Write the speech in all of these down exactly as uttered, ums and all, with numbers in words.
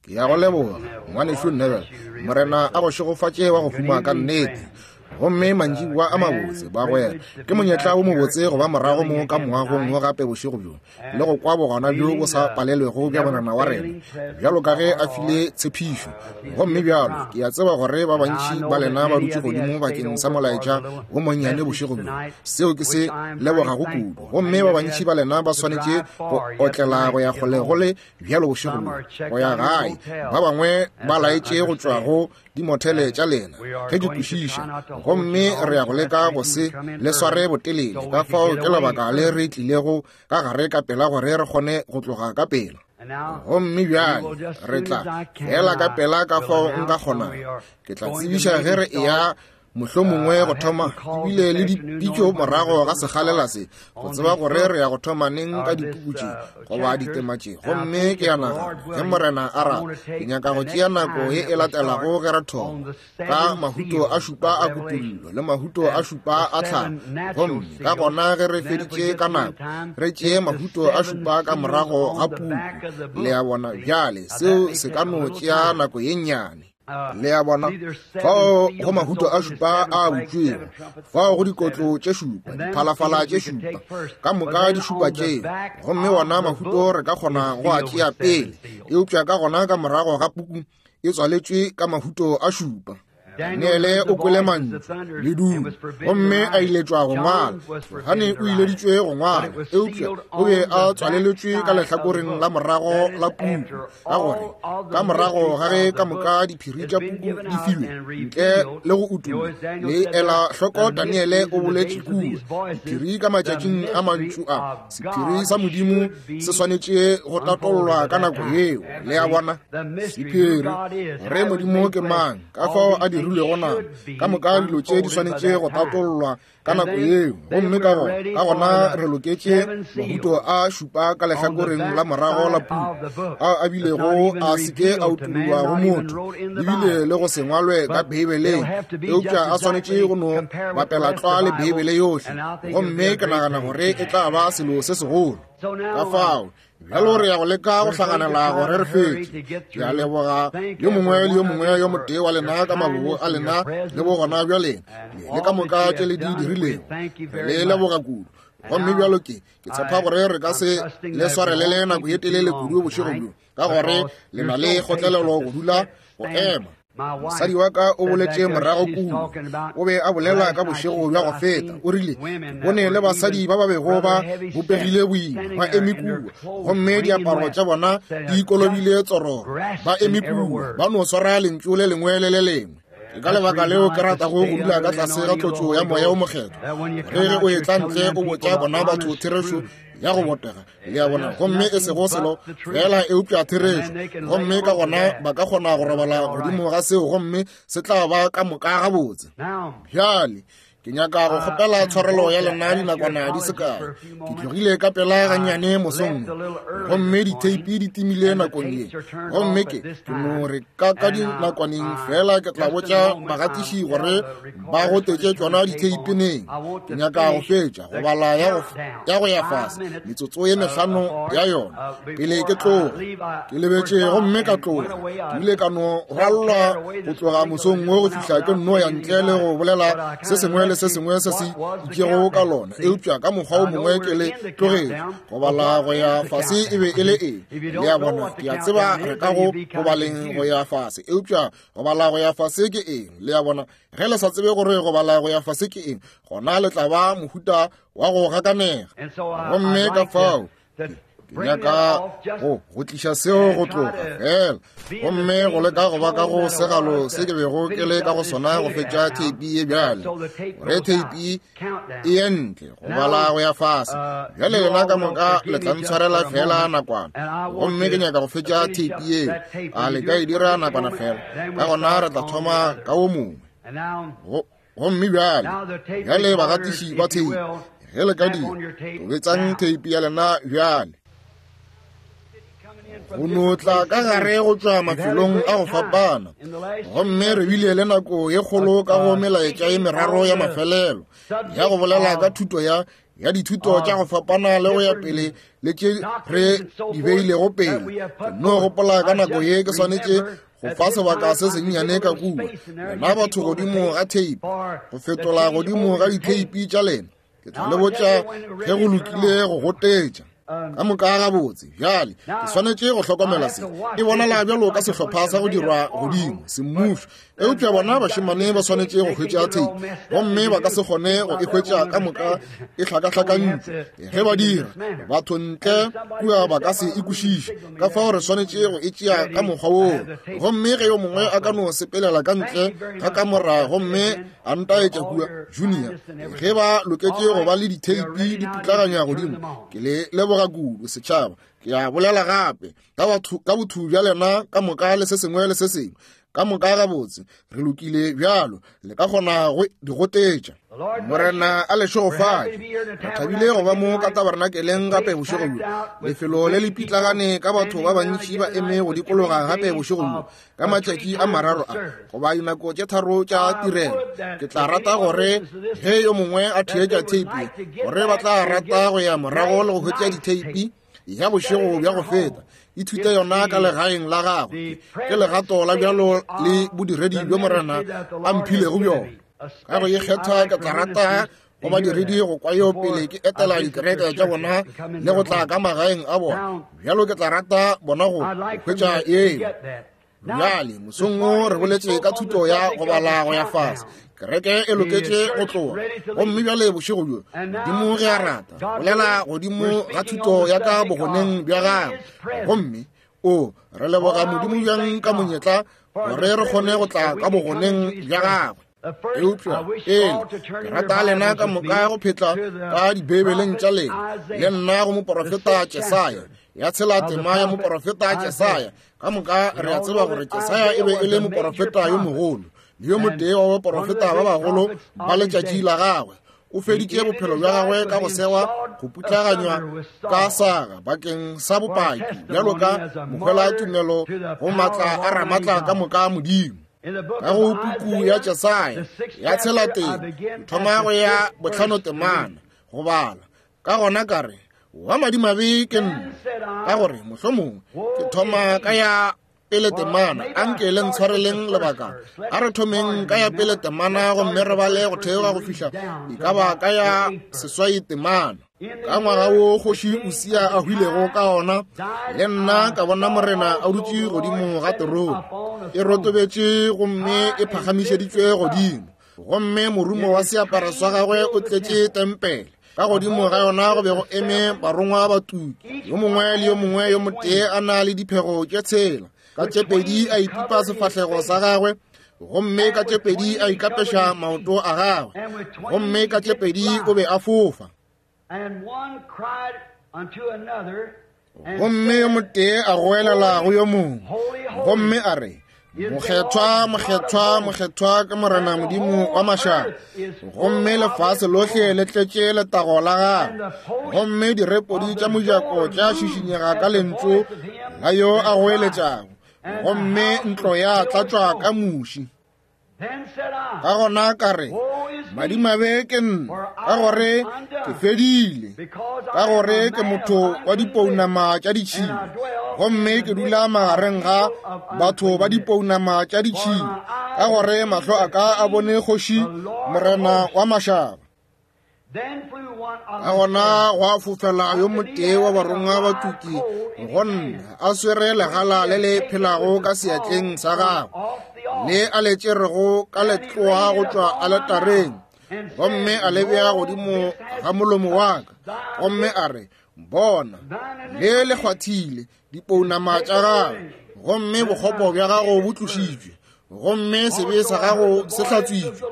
Ke ya go leboga, ngwanešu Neville. Morena a go šegofatše wa go huma ka nnete. Gomme mantšiboa a mabotse, bagwera. Ke monyetla wo mobotse go ba morago mo ka moagong wo gape bošego bjo, le go kwa bogona bjo bo sa palelwego bja Morena wa rena, bjalo ka ge a file tshepišo. Gomme bjalo, ke a tseba gore ba bantši ba lena ba dutše godimo bakeng sa molaetša wo monnyane bošego bjo, seo ke se lebogago kudu. Gomme ba bantši ba lena ba swanetše go otlela go ya kgole go le bjalo bošego bjo, go ya gae. Ba bangwe ba laetše go tšwa go dimothele tša lena, ge ke kwešiša. Gomme re ya go leka go se le sware botelele, ka fao ke lebaka le re tlilego ka gare ka pela gore re kgone go tloga ka pela. Gomme bjale re tla fela ka pela ka fao nka kgonago. Ke tla tsebiša ge re eya mohlomongwe go thoma, ebile le dipitšo morago ga sekgalela se, go tseba gore re ya go thoma neng ka dipuku tše goba ditema tše. Gomme ke a nagana, ge Morena a rata, ke nyaka go tšea nako ye e latelago ge re thoma ka mahuto a šupa a kutullo le mahuto a šupa a tlhago. Gomme ka gona ge re feditše ka nako, re tšee mahuto a šupa ka morago ga puku. Le a bona? Bjale seo se ka no tšea nako ye nnyane. Le a bona? Fao go mahuto a šupa a butšwego, fao go dikotlo tše šupa, diphalafala tše šupa, ka moka di šupa tšeo. Gomme wona mahuto re ka kgona go a tšea pele, eupša ka gona ka morago ga puku e tswaletšwe ka mahuto a šupa. Daniele o kwele mantšu le dumo, gomme a iletšwa go ngwala. Johane o ileditšwe go ngwala, eupša o be a tswaleletšwe ka lehlakoreng la morago la puku, ka gore ka morago ga ge ka moka diphiri tša puku di filwe ntle le go utollwa. Le ela hloko, Daniele o boletše kua, diphiri ka matšatšing a mantšu a, sephiri sa Modimo se swanetše go tatollwa ka nako yeo. Le a bona? Sephiri, gore Modimo ke mang, ka fao a dirilwego nama, ka moka dilo tše di swanetše go tatollwa ka nako yeo. Gomme ka gona, ka gona re loketše mahuto a šupa ka lehlakoreng la morago la puku, ao a bilego a se ke a utollwa go motho, ebile le go se ngwalwe ka Beibeleng, eupša a swanetše go no bapela tlwa le Beibele yohle. Gomme ke nagana gore e tla ba selo se segolo. Ka fao bjalo re ya go leka go hlaganela gore re fetše. Ke a leboga yo mongwe le yo mongwe yo motee wa lena ka mabobo a lena le bogona bja lena, le ka moka tše le di dirilego. Re le leboga kudu. Gomme bjalo ke ke tshepa gore re ka se le swarelele nako ye telele kudu bošego bjo, ka gore le na le kgotlelelo go dula go ema. Mosadi wa ka o boletše morago kua, o be a bolela ka bošego bja go feta. O rile, bone le basadi ba ba bego ba bopegile boima ba eme kua, gomme diaparo tša bona di kolobile tsororo, ba eme kua ba no swara lentšu le lengwe le le lengwe. Ke ka lebaka leo ke ratago go dula ka tlase ga tlotšo ya Moya o Mokgethwa. Ge ge o etla ntle o botša bona batho therešo ya go botega, le a bona, gomme e sego selo fela eupša therešo. Gomme ka gona ba ka kgona go robala godimo ga seo, gomme se tla ba ka moka gabotse. Bjale ke nyaka go kgopela tshwarelo ya lena dinakwana di se kae. Ke tlogile ka pela gannyane mosong, gomme ditheipi di timile nakong ye. Gomme ke ke no re ka ka dinakwaneng fela ke tla botša bagatiši gore ba gotetše tšona ditheipi neng. Ke nyaka go fetša go bala ya go ya go ya fase metsotso ye mehlano ya yona pele ke tloga. Ke lebetše gomme ka tloga. Ke ile ka no rwallwa go tloga mosong wo go fihla ke nno ya ntle le go bolela se sengwe le se sengwe se se itšego ka lona, eupša ka mokgwa o mongwe ke le tlogetše. Go bala go ya fase e be e le eng? Le a bona? Ke a tseba re ka go go baleng go ya fase, eupša go bala go ya fase ke eng? Le a bona? Ge le sa tsebe gore go bala go ya fase ke eng, gona le tla ba mohuta wa go gakanega. Gomme ka fao ke nyaka go go tliša seo go tloga fela, gomme go leka go ba ka go segalo se ke bego ke le ka go sona go fetša theipi ye bjale, gore theipi e ye ntle go bala go ya fase. Bjale lena ka moka le tla ntshwarela fela nakwana, gomme ke nyaka go fetša theipi yeo. A le ka e dira nakwana fela, ka gona re tla thoma ka wo mongwe. Gomme bjale, bjale bagatiši ba theipi, ge le ka dira, tobetsang theipi ya lena bjale. Go no tla ka gare go tšwa mafelong a go fapana, gomme re bile le nako ye kgolo ka go melaetša ye meraro ya mafelelo ya go bolela ka thuto ya ya dithuto tša go fapana le go ya pele le tše re di beilego pele. Ke no gopola ka nako ye ke swanetše go fa sebaka se sennyane ka kua lena batho godimo ga theipi, go fetola godimo ga ditheipi tša lena. Ke tla le botša ge go lokile go gotetša ka moka gabotse. Bjale ke swanetše go hlokomela se. E bonala bjalo ka sehlopha sa go dirwa godimo semmušo, eupša bona bašemane ba swanetše go hwetša theipi, gomme ba ka se kgone go e hwetša ka moka e hlakahlakantšwe. Ge ba dira, batho ntle kua ba ka se e kwešiše, ka fao re swanetše go e tšea ka mokgwa woo. Gomme ge yo mongwe a ka no sepelela ka ntle ga kamora gomme a ntaetša kua Junior, ge ba loketše go ba le ditheipi di putlaganywa godimo, ke le leboga kudu setšhaba. Ke a bolela gape ka batho, ka botho bja lena ka moka le se sengwe le se sengwe ka moka gabotse. Re lokile bjalo, le ka kgona go di gotetša. Morena a le šegofatše. Re thabile go ba mo ka tabernakeleng gape bošego bjo. Lefelo le le pitlagane ka batho ba bantši ba eme go dikologa gape bošego bjo ka matšatši a mararo a goba dinako tše tharo tša tirelo. Ke tla rata gore ge yo mongwe a theetša theipi, gore ba tla rata go ya morago le go hwetša ditheipi ya bošego bja go feta, ithute yona ka legaeng la gagwe. Ke legato la bjalo le bodiredi bjo Morena a mphilego bjona. Ka go ikgetha ke tla rata go badiredi go kwa yo pele ke etela dikereke tša bona le go tla ka magaeng a bona. Bjalo ke tla rata bona go hwetša eo. Bjale mosong wo re boletše ka thuto ya go bala go ya fase. Kereke e loketše go tloga, gomme bjale bošego bjo Modimo ge a rata bolela godimo ga thuto ya ka bogoneng bja gagwe. Gomme o re leboga Modimo bjang ka monyetla gore re kgone go tla ka bogoneng bja gagwe. Eupša pele ke rata lena ka moka go phetla ka dibeibeleng tša lena le nna go moporofeta Jesaya, ya tshela tema ya moporofeta Jesaya. Ka moka re a tseba gore Jesaya e be e le moporofeta yo mogolo le yo motee wa baporofeta ba bagolo ba letšatši la gagwe. O feditše bophelo bja gagwe ka go segwa, go putlaganywa ka saga bakeng sa bopaki bjalo ka mohwela tumelo go matla a ramatla ka moka Modimo. Ka go puku ya Jesaya ya tshela teng, ke thoma go ya bohlano temana go bala. Ka gona ka re, wa madimabe ke nna, ka gore mohlomongwe ke thoma ka ya pele temana. Anke le ntshwareleng lebaka. A re thomeng ka ya pele temana gomme re bale go theoga go fihla e ka ba ka ya seswai temana. Ka ngwaga wo kgoši Usia a hwilego ka ona, le nna ka bona Morena a dutše godimo ga terone, e rotobetše gomme e phagamišeditšwe godimo, gomme morumo wa seaparo sa gagwe o tletše tempele. Ka godimo ga yona go be go eme barongwa ba tuki, yo mongwe le yo mongwe yo motee a na le diphego tše tshela. Ka tše pedi a ipipa sefahlego sa gagwe, gomme ka tše pedi a ikapeša maoto a gagwe, gomme ka tše pedi o be a fofa. Gomme yo motee a goelela go yo mongwe, gomme a re, Mokgethwa, mokgethwa, mokgethwa ke Morena Modimo wa mašaba, gomme lefase lohle le tletše letago la gagwe. Gomme direpodi tša mojako tša šišinyega ka lentšu la yo a goeletšago, gomme ntlo ya tlatšwa ka muši. Ka gona ka re, madimabe ke nna, ka gore ke fedile, ka gore ke motho wa dipounama tša ditšhila, gomme ke dula magareng ga batho ba dipounama tša ditšhila, ka gore mahlo a ka a bone kgoši Morena wa mašaba. Ka gona gwa fofela yo motee wa barongwa ba tuki go nna, a swere legala le le phelago ka seatleng sa gagwe, le a le tšerego ka letloa go tšwa aletareng, gomme a le bea godimo ga molomo wa ka, gomme a re, bona, le le kgwathile dipounama tša gago, gomme bokgopo bja gago bo tlošitšwe, gomme sebe sa gago se hlatswitšwe.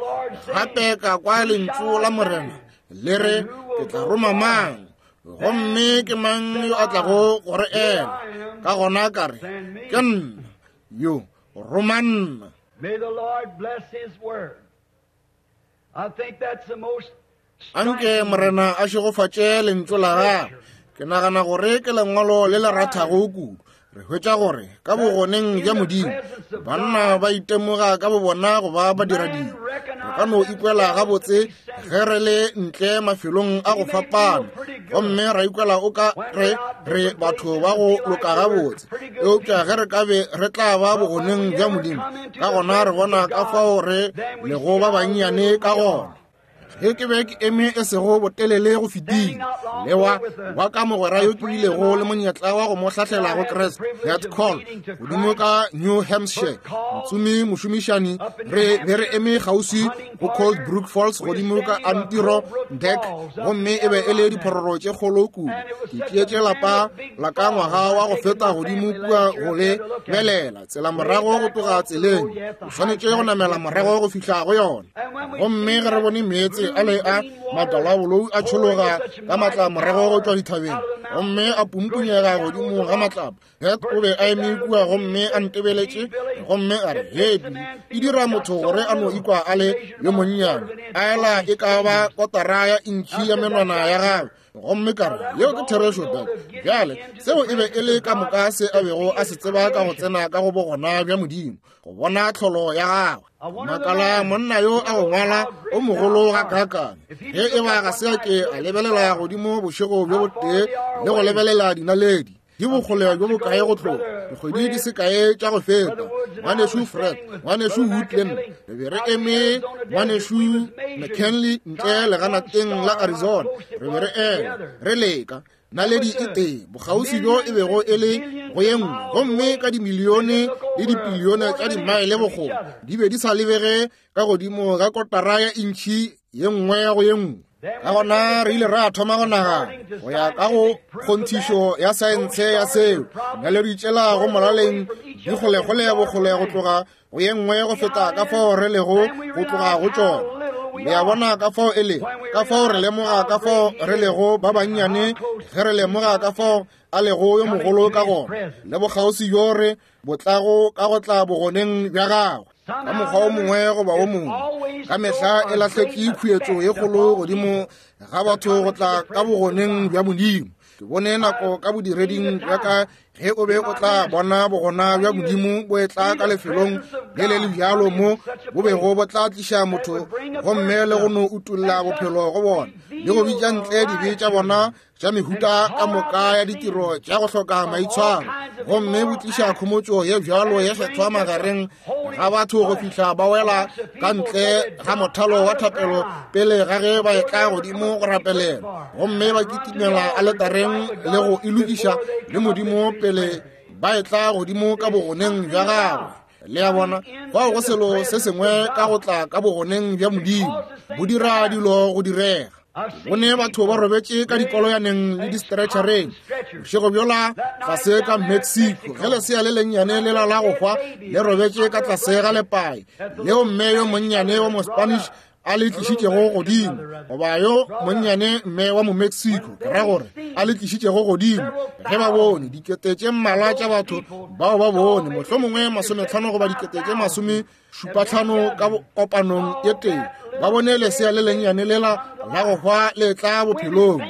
Gape ka kwa lentšu la Morena le re, ke tla roma mang, gomme ke mang yo a tlago go re ela? Ka gona ka re, ke nna yo, roma nna. Anke Morena a šegofatše lentšu la gagwe. Ke nagana gore ke lengwalo le le rathago kudu. Re hwetša gore ka bogoneng bja Modimo banna ba itemoga ka bobona go ba badiradibe. Re ka no ikwela gabotse ge re le ntle mafelong a go fapana, gomme ra ikwela o ka re re batho ba go loka gabotse. Eupša ge re ka be re tla ba bogoneng bja Modimo, ka gona re bona ka fao re lego ba bannyane ka gona. Ge ke be ke eme e sego botelele go fetile le wa wa ka mogwera yo ke bilego le monyetla wa go mo hlahlela go Kriste, Nat Call, godimo ka New Hampshire, motsomi mošomišani, re be re eme kgauswi go Cold Brook Falls godimo ka Adirondack, gomme e be e le diphororo tše kgolo kudu. Ke tšeetše lapa la ka ngwaga wa go feta godimo kua go le belela tsela morago go tloga tseleng, o swanetše go namela morago go fihla go yona. Gomme ge re bone meetse a le a matalabolou a tšhologa ka matla morago go tšwa dithabeng, gomme a pumpunyega godimo ga matlapa, Het o be a eme kua gomme a ntebeletše, gomme a re, "Hei, e dira motho gore a no ikwa a le yo monnyane, a ela e ka ba kotara ya intšhi ya menwana ya gagwe." Gomme ka re, "Yeo ke therešo, Dad." Bjale seo e be e le ka moka se a bego a se tseba ka go tsena ka go bogona bja Modimo, go bona tlholo ya gagwe. Makala monna yo a go ngwala o mogolo ga kakane, ge e ba ga se a ke a lebelela godimo bošego bjo botee le go lebelela dinaledi di bokgole bjo bokae go tloga dikgwedi di se kae tša go feta. Ngwanešu Fred, ngwanešu Woodland, re be re eme ngwanešu McKinley ntle leganateng la Arizona, re be re ema re leka naledi e tee bokgauswi bjo e bego e le go ye nngwe, gomme ka dimilione le dipilione tša dimaele bokgole di be di sa lebege ka godimo ga kotara ya intšhi ye nngwe ya go ye nngwe. Ka gona re ile ra thoma go nagana go ya ka go kgonthišo ya saense ya seo, naledi tšela go molaleng di kgolekgole bokgole go tloga go ye nngwe go feta ka fao re lego go tloga go tšona. Le a bona ka fao e lego, ka fao re lemoga ka fao re lego ba bannyane ge re lemoga ka fao a lego yo mogolo ka gona, le bokgauswi bjo re botlago ka go tla bogoneng bja gagwe. Ka mokgwa o mongwe goba o mongwe, ka mehla e lahletše khuetšo ye kgolo godimo ga batho go tla ka bogoneng bja Modimo. Ke bone nako ka bodireding bja ka ge o be o tla bona bogona bja Modimo bo etla ka lefelong le le le bjalo mo bo bego bo tla tliša motho gomme le go no utolla bophelo go bona, le go bitša ntle dibe tša bona tša mehuta ka moka ya ditiro tša go hloka maitshwaro, gomme bo tliša khomotšo ye bjalo ye kgethwa magareng ga batho go fihla ba wela ka ntle ga mothalo wa thapelo pele ga ge ba etla godimo go rapelela, gomme ba kitimela aletareng le go e lokiša le Modimo pele ba etla godimo ka bogoneng bja gagwe. Le a bona, fao go selo se sengwe ka go tla ka bogoneng bja Modimo, bo dira dilo go direga. Bone batho ba robetše ka dikoloyaneng le di-stretchereng bošego bjola tlase ka Mexico, ge lesea le lennyane lela la go hwa le robetše ka tlase ga lepae leo mme yo monnyane wa mo-Spanish a le tlišitšego godimo, goba yo monnyane mme wa mo-Mexico, ke ra gore a le tlišitšego godimo. Ge ba bone dikete tše mmalwa tša batho bao ba bone mohlomongwe masometlhano goba dikete tše masome šupatlhano ka kopanong ye tee, ba bone lesea le lennyane lela la go hwa le tla bophelong.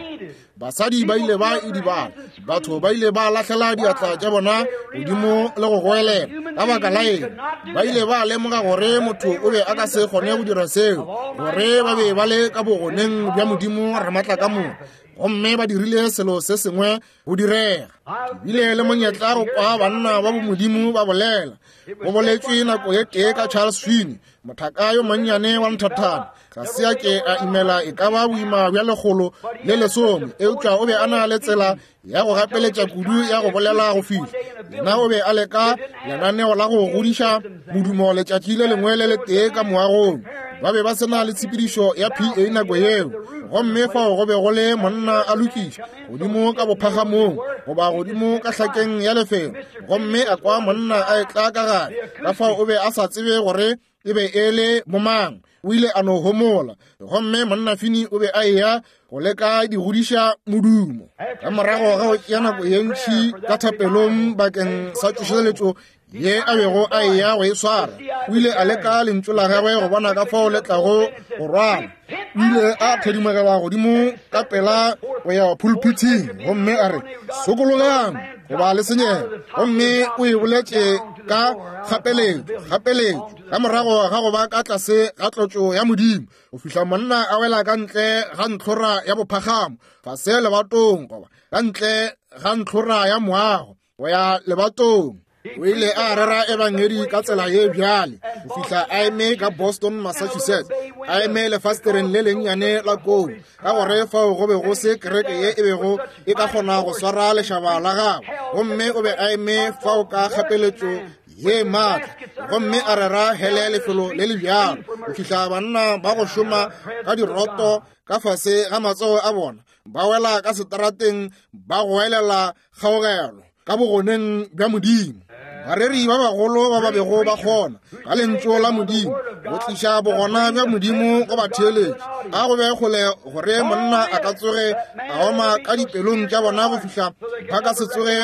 Basadi ba ile ba idibala, batho ba ile ba lahlela diatla tša bona godimo le go goelela. Ka baka la eng? Ba ile ba lemoga gore motho o be a ka se kgone go dira seo, gore ba be ba le ka bogoneng bja Modimo Ramatla ka moka, gomme ba dirile selo se sengwe go direga. Ke bile le monyetla go kwa banna ba bomodimo ba bolela. Go boletšwe nako ye tee ka Charles Finney, mothaka yo monnyane wa nthathana. Ga se a ke a imela e ka ba boima bja lekgolo le lesome, eupša o be a na le tsela ya go gapeletša kudu ya go bolela go fihla. Yena o be a leka lenaneo la go godiša modumo letšatši le lengwe le letee ka moagong. Ba be ba se na le tshepedišo ya P A nako yeo, gomme fao go be go le monna a lokiša godimo ka bophagamong goba godimo ka hlakeng ya lefelo, gomme a kwa monna a etla ka gare. Ka fao o be a sa tsebe gore e be e le bomang. O ile a no homola, gomme monna Finney o be a eya go leka di godiša modumo. Ka morago ga go tšea nako ye ntši ka thapelong bakeng sa tsošeletšo ye a bego a eya go e swara. O ile a leka lentšu la gagwe go bona ka fao le tlago go rwala. O ile a thedimogela godimo ka pela go ya pulpithing gomme a re, sokologang goba le senyega. Gomme o e boletše ka kgapeletšo, kgapeletšo, ka morago ga go ba ka tlase ga tlotšo ya Modimo, go fihla monna a wela ka ntle ga ntlhora ya bophagamo, fase lebatong, goba ka ntle ga ntlhora ya moago, go ya lebatong. O ile a rera ebangedi ka tsela ye bjale go fihla a eme ka Boston, Massachusetts, a eme lefastereng le lennyane la kou, ka gore fao go be go se kereke ye e bego e ka kgona go swara lešaba la gagwe. Gomme o be a eme fao ka kgapeletšo ye maatla, gomme a rera hele lefelo le le bjalo go fihla banna ba go šoma ka diroto ka fase ga matsogo a bona ba wela ka seterateng ba goelela kgaogelo ka bogoneng bja Modimo. Bareri ba bagolo ba ba bego ba kgona ka lentšu la Modimo go tliša bogona bja Modimo go batheeletši, a go be kgole gore monna a ka tsoge a oma ka dipelong tša bona go fihla ba ka se tsoge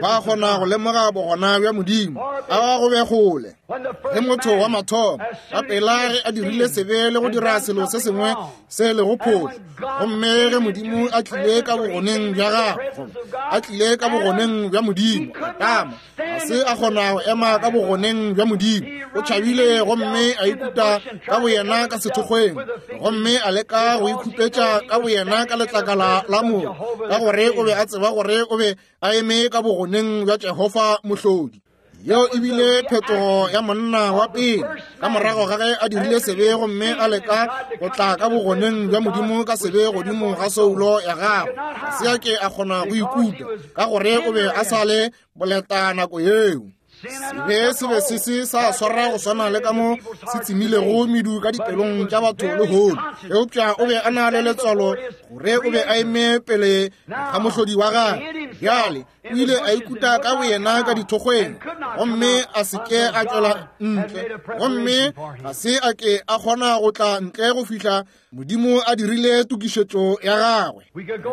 ba kgona go lemoga bogona bja Modimo. A go be kgole le motho wa mathomo ka pela ge a dirile sebe le go dira selo se sengwe se lego phošo, gomme ge Modimo a tlile ka bogoneng bja gagwe, a tlile ka bogoneng bja Modimo, Adama ga se a kgona go ema ka bogoneng bja Modimo. O tšhabile gomme a ikuta ka boyena ka sethokgweng, gomme a leka go ikhupetša ka boyena ka letlakala la moru, ka gore o be a tseba gore o be a eme ka bogoneng bja Jehofa Mohlodi. Yeo e bile phetogo ya monna wa pele ka morago ga ge a dirile sebe gomme a leka go tla ka bogoneng bja Modimo ka sebe godimo ga soulo ya gagwe. Ga se a ke a kgona go ikuta ka gore o be a sa le boleta nako yeo. Sebe se be se se sa swara go swana le ka mo se tsemilego medu ka dipelong tša batho lehono, eupša o be a na le letswalo gore o be a eme pele ga mohlodi wa gagwe. Bjale o ile a ikuta ka boyena ka dithokgweng, gomme a se ke a tšwela ntle, gomme ga se a ke a kgona go tla ntle go fihla Modimo a dirile tokišetšo ya gagwe.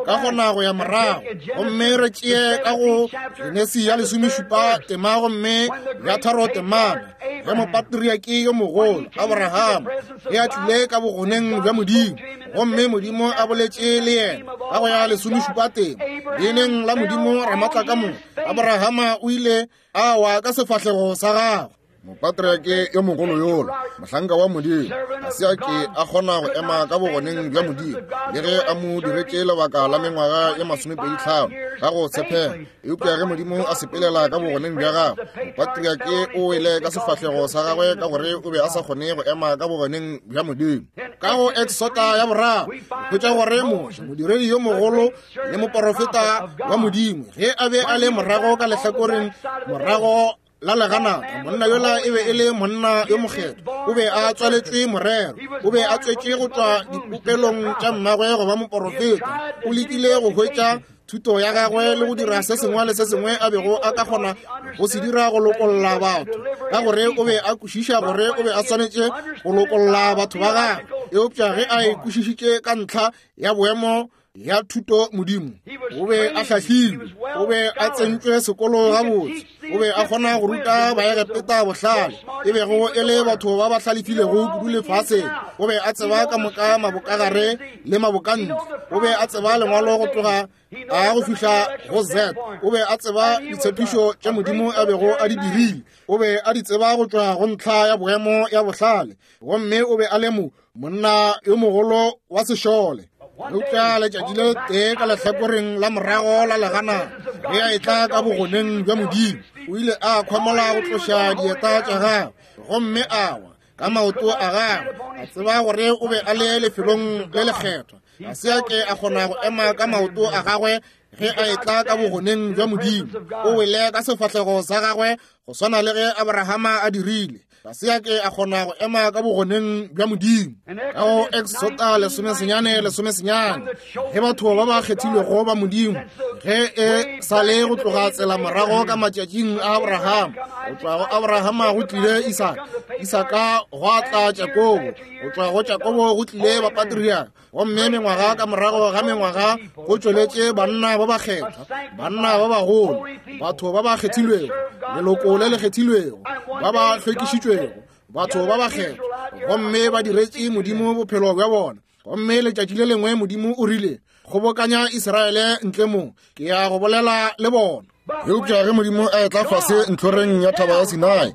Ka kgona go ya morago gomme re tšee ka go Genesi ya lesomešupa tema gomme ya tharo temana, ge mopatriaki yo mogolo Abraham ge a tlile ka bogoneng bja Modimo, gomme Modimo a boletše le yena ka go ya lesomešupa tema, leineng la Modimo Ramatlakamoka, Abrahama o ile a wa ka sefahlego sa gagwe. Mopatriake yo mogolo yola, mohlanka wa Modimo, ga se a ke a kgona go ema ka bogoneng bja Modimo, le ge a mo diretše lebaka la mengwaga ye masomepedi tlhano ka go tshepega. Eupša ge Modimo a sepelela ka bogoneng bja gagwe, mopatriake o wele ka sefahlego sa gagwe ka gore o be a sa kgone go ema ka bogoneng bja Modimo. Ka go Exoda ya boraro, hwetša gore Moshe, modiredi yo mogolo le moporofeta wa Modimo, ge a be a le morago ka lehlakoreng morago la leganata, monna yola e be e le monna yo mokgethwa, o be a tswaletšwe morero, o be a tswetše go tšwa dipopelong tša mmagwe go ba moporofeta. O lekile go hwetša thuto ya gagwe le go dira se sengwe le se sengwe a bego a ka kgona go se dira go lokolla batho, ka gore o be a kwešiša gore o be a swanetše go lokolla batho ba gagwe. Eupša ge a e kwešišitše ka ntlha ya boemo ya thuto Modimo, o be a hlahlilwe, o be a tsentšwe sekolo gabotse, o be a kgona go ruta Baegepeta bohlale, e bego e le batho ba ba hlalefilego kudu lefaseng. O be a tseba ka moka mabokagare le mabokantle, o be a tseba lengwalo go tloga a go fihla go Z, o be a tseba ditshepišo tša Modimo a bego a di dirile, o be a di tseba go tšwa go ntlha ya boemo ya bohlale, gomme o be a le mo monna yo mogolo wa sešole. Eupša letšatši le tee ka lehlakoreng la morago la legana, ge a etla ka bogoneng bja Modimo, o ile a khwamola go tloša dieta tša gagwe gomme a wa ka maoto a gagwe, a tseba gore o be a le lefelong le lekgethwa. Ga se a ke a kgona go ema ka maoto a gagwe ge a etla ka bogoneng bja Modimo. O wele ka sefahlego sa gagwe go swana le ge Abrahama a dirile. Ga se a ke a kgona go ema ka bogoneng bja Modimo. Ka go Exota lesomesenyane lesomesenyane, ge batho ba ba kgethilwego ba Modimo, ge e sa le go tloga tsela morago ka matšatšing a Abrahama, go tšwa go Abrahama go tlile Isaka, Isaka gwa tla Jakobo, go tšwa go Jakobo go tlile bapatriaka, gomme mengwaga ka morago ga mengwaga go tšweletše banna ba bakgethwa, banna ba bagolo, batho ba ba kgethilwego, leloko le le kgethilwego, ba ba hlwekišitšwego, batho ba bakgethwa, gomme ba diretše Modimo bophelo bja bona. Gomme letšatši le lengwe Modimo o rile, kgobokanya Israele ntle mo, ke ya go bolela le bona. Eupša ge Modimo a etla fase ntlhoreng ya thaba ya Sinai,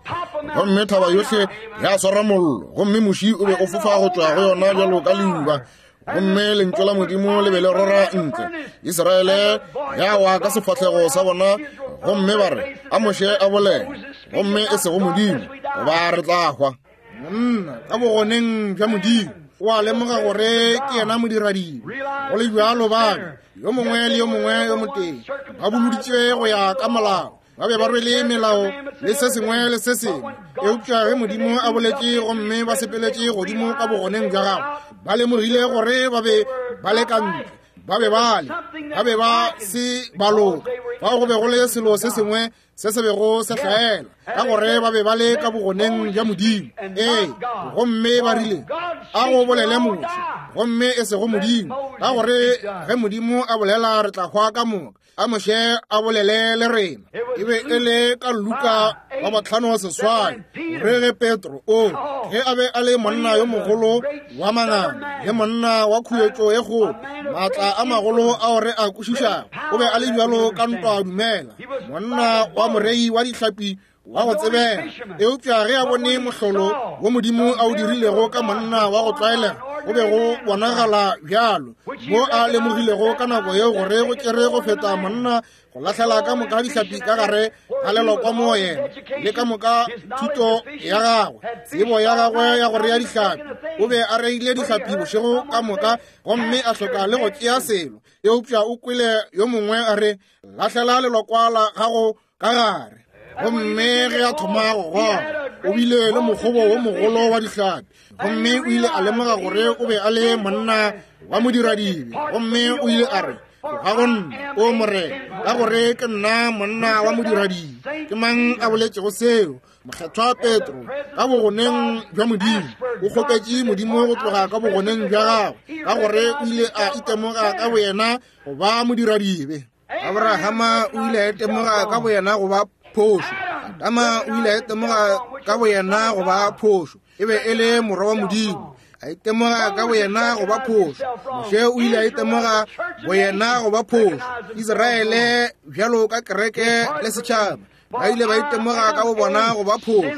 gomme thaba yohle ya swara mollo, gomme moši o be o fofa go tšwa go yona bjalo ka leuba, gomme lentšu la Modimo le be le rora ntle, Israele ya wa ka sefahlego sa bona, gomme ba re, a Moshe a bolele, gomme e sego Modimo, goba re tla hwa. Monna ka bogoneng bja Modimo o a lemoga gore ke yena modiradibe. Go le bjalo ba yo mongwe le yo mongwe yo motee ba boloditše go ya ka molao, ba be ba rwele melao le se sengwe le se sengwe. Eupša ge Modimo a boletše gomme ba sepeletše godimo ka bogoneng bja gagwe, ba lemogile gore ba be ba le ka ntle, ba be ba le, ba be ba se ba loka. Fao go be go le selo se sengwe se se bego se hlaela, ka gore ba be ba le ka bogoneng bja Modimo. Ee, gomme ba rile, a go bolele Moshe, gomme e sego Modimo, ka gore ge Modimo a bolela re tla hwa ka moka. A Moshe a bolele le rena. E be e le ka Luka wa bohlano seswai, gore ge Petro o ge a be a le monna yo mogolo wa manganga le monna wa khuetšo ye kgolo, maatla a magolo ao re a kwešišago, o be a le bjalo ka ntwa dumela, monna wa morei wa dihlapi wa go tsebega. Eupša ge a bone mohlolo wo Modimo a o dirilego ka monna wa go tlwaelega, go be go bonagala bjalo mo a lemogilego ka nako yeo gore go tšere go feta monna go lahlela ka moka dihlapi ka gare ga lelokwa mo yena, le ka moka thuto ya gagwe, tsebo ya gagwe ya go rea dihlapi. O be a reile dihlapi bošego ka moka, gomme a hloka le go tšea selo. Eupša o kwele yo mongwe a re, lahlela lelokwa la gago ka gare. Gomme ge a thoma go goga, o bile le mokgobo wo mogolo wa dihlapi, gomme o ile a lemoga gore o be a le monna wa modiradibe. Gomme o ile a re, tloga go nna, o Morena, ka gore ke nna monna wa modiradibe. Ke mang a boletšego seo? Mokgethwa Petro, ka bogoneng bja Modimo. O kgopetše Modimo go tloga ka bogoneng bja gagwe, ka gore o ile a itemoga ka boyena go ba modiradibe. Abrahama o ile a itemoga ka boyena go ba phošo. Adama o ile a itemoga ka boyena go ba phošo. E be e le morwa wa Modimo, a itemoga ka boyena go ba phošo. Moshe o ile a itemoga boyena go ba phošo. Israele bjalo ka kereke le setšhaba ba ile ba itemoga ka bobona go ba phošo.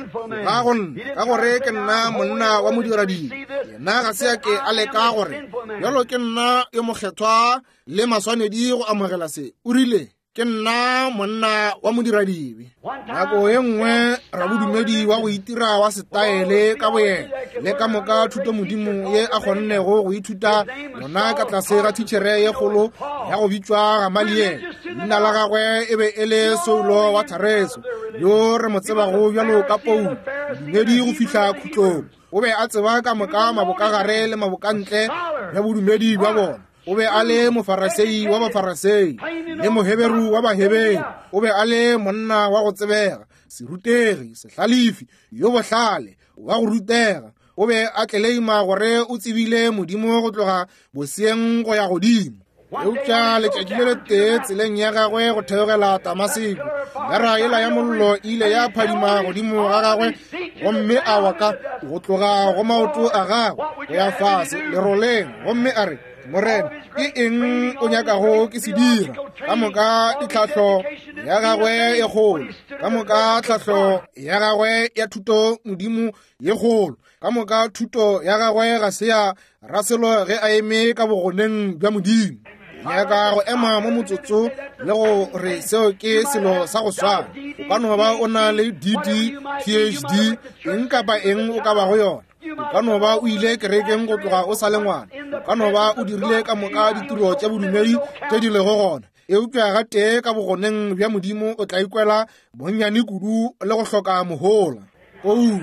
Ga go nna, ka gore ke nna monna wa modiradibe. Yena ga se a ke a leka gore bjalo ke nna yo mokgethwa le maswanedi go amogela se. O rile, ke nna monna wa modiradibe. Nako ye nngwe rabodumedi wa go itira wa setaele ka boyena le ka moka thuto Modimo ye a kgonnego go ithuta yona ka tlase ga thitšhere ye kgolo ya go bitšwa Gamaliele. Leina la gagwe e be e le Saulo wa Tareso, yo re mo tsebago bjalo ka Paulo, modumedi go fihla khutlong. O be a tseba ka moka mabokagare le mabokantle bja bodumedi bja bona. O be a le mofarasei wa bafarasei le moheberu wa baheberu. O be a le monna wa go tsebega, serutegi, sehlalefi, yo bohlale, wa go rutega. O be a tleleima gore o tsebile Modimo go tloga boseeng go ya godimo. Eupša letšatši le letee tseleng ya gagwe go theogela Damaseko, bera yela ya mollo e ile ya phadima godimo ga gagwe, gomme a wa ka go tloga go maoto a gagwe go ya fase leroleng, gomme a re, Morena, ke eng o nyakago ke se dira? Ka moka ditlhahlo ya gagwe ye kgolo, ka moka tlhahlo ya gagwe ya thuto Modimo ye kgolo, ka moka thuto ya gagwe ga se ya raselo ge a eme ka bogoneng bja Modimo. Nyaka go ema mo motsotso le go re seo ke selo sa go swana. O ka no ba o na le D D, P H D, eng kapa eng o ka bago yona. O ka no ba o ile kerekeng go tloga o sa le ngwana. O ka no ba o dirile ka moka ditiro tša bodumedi tše di lego gona. Eupša gatee ka bogoneng bja Modimo o tla ikwela bonnyane kudu le go hloka mohola. Paulo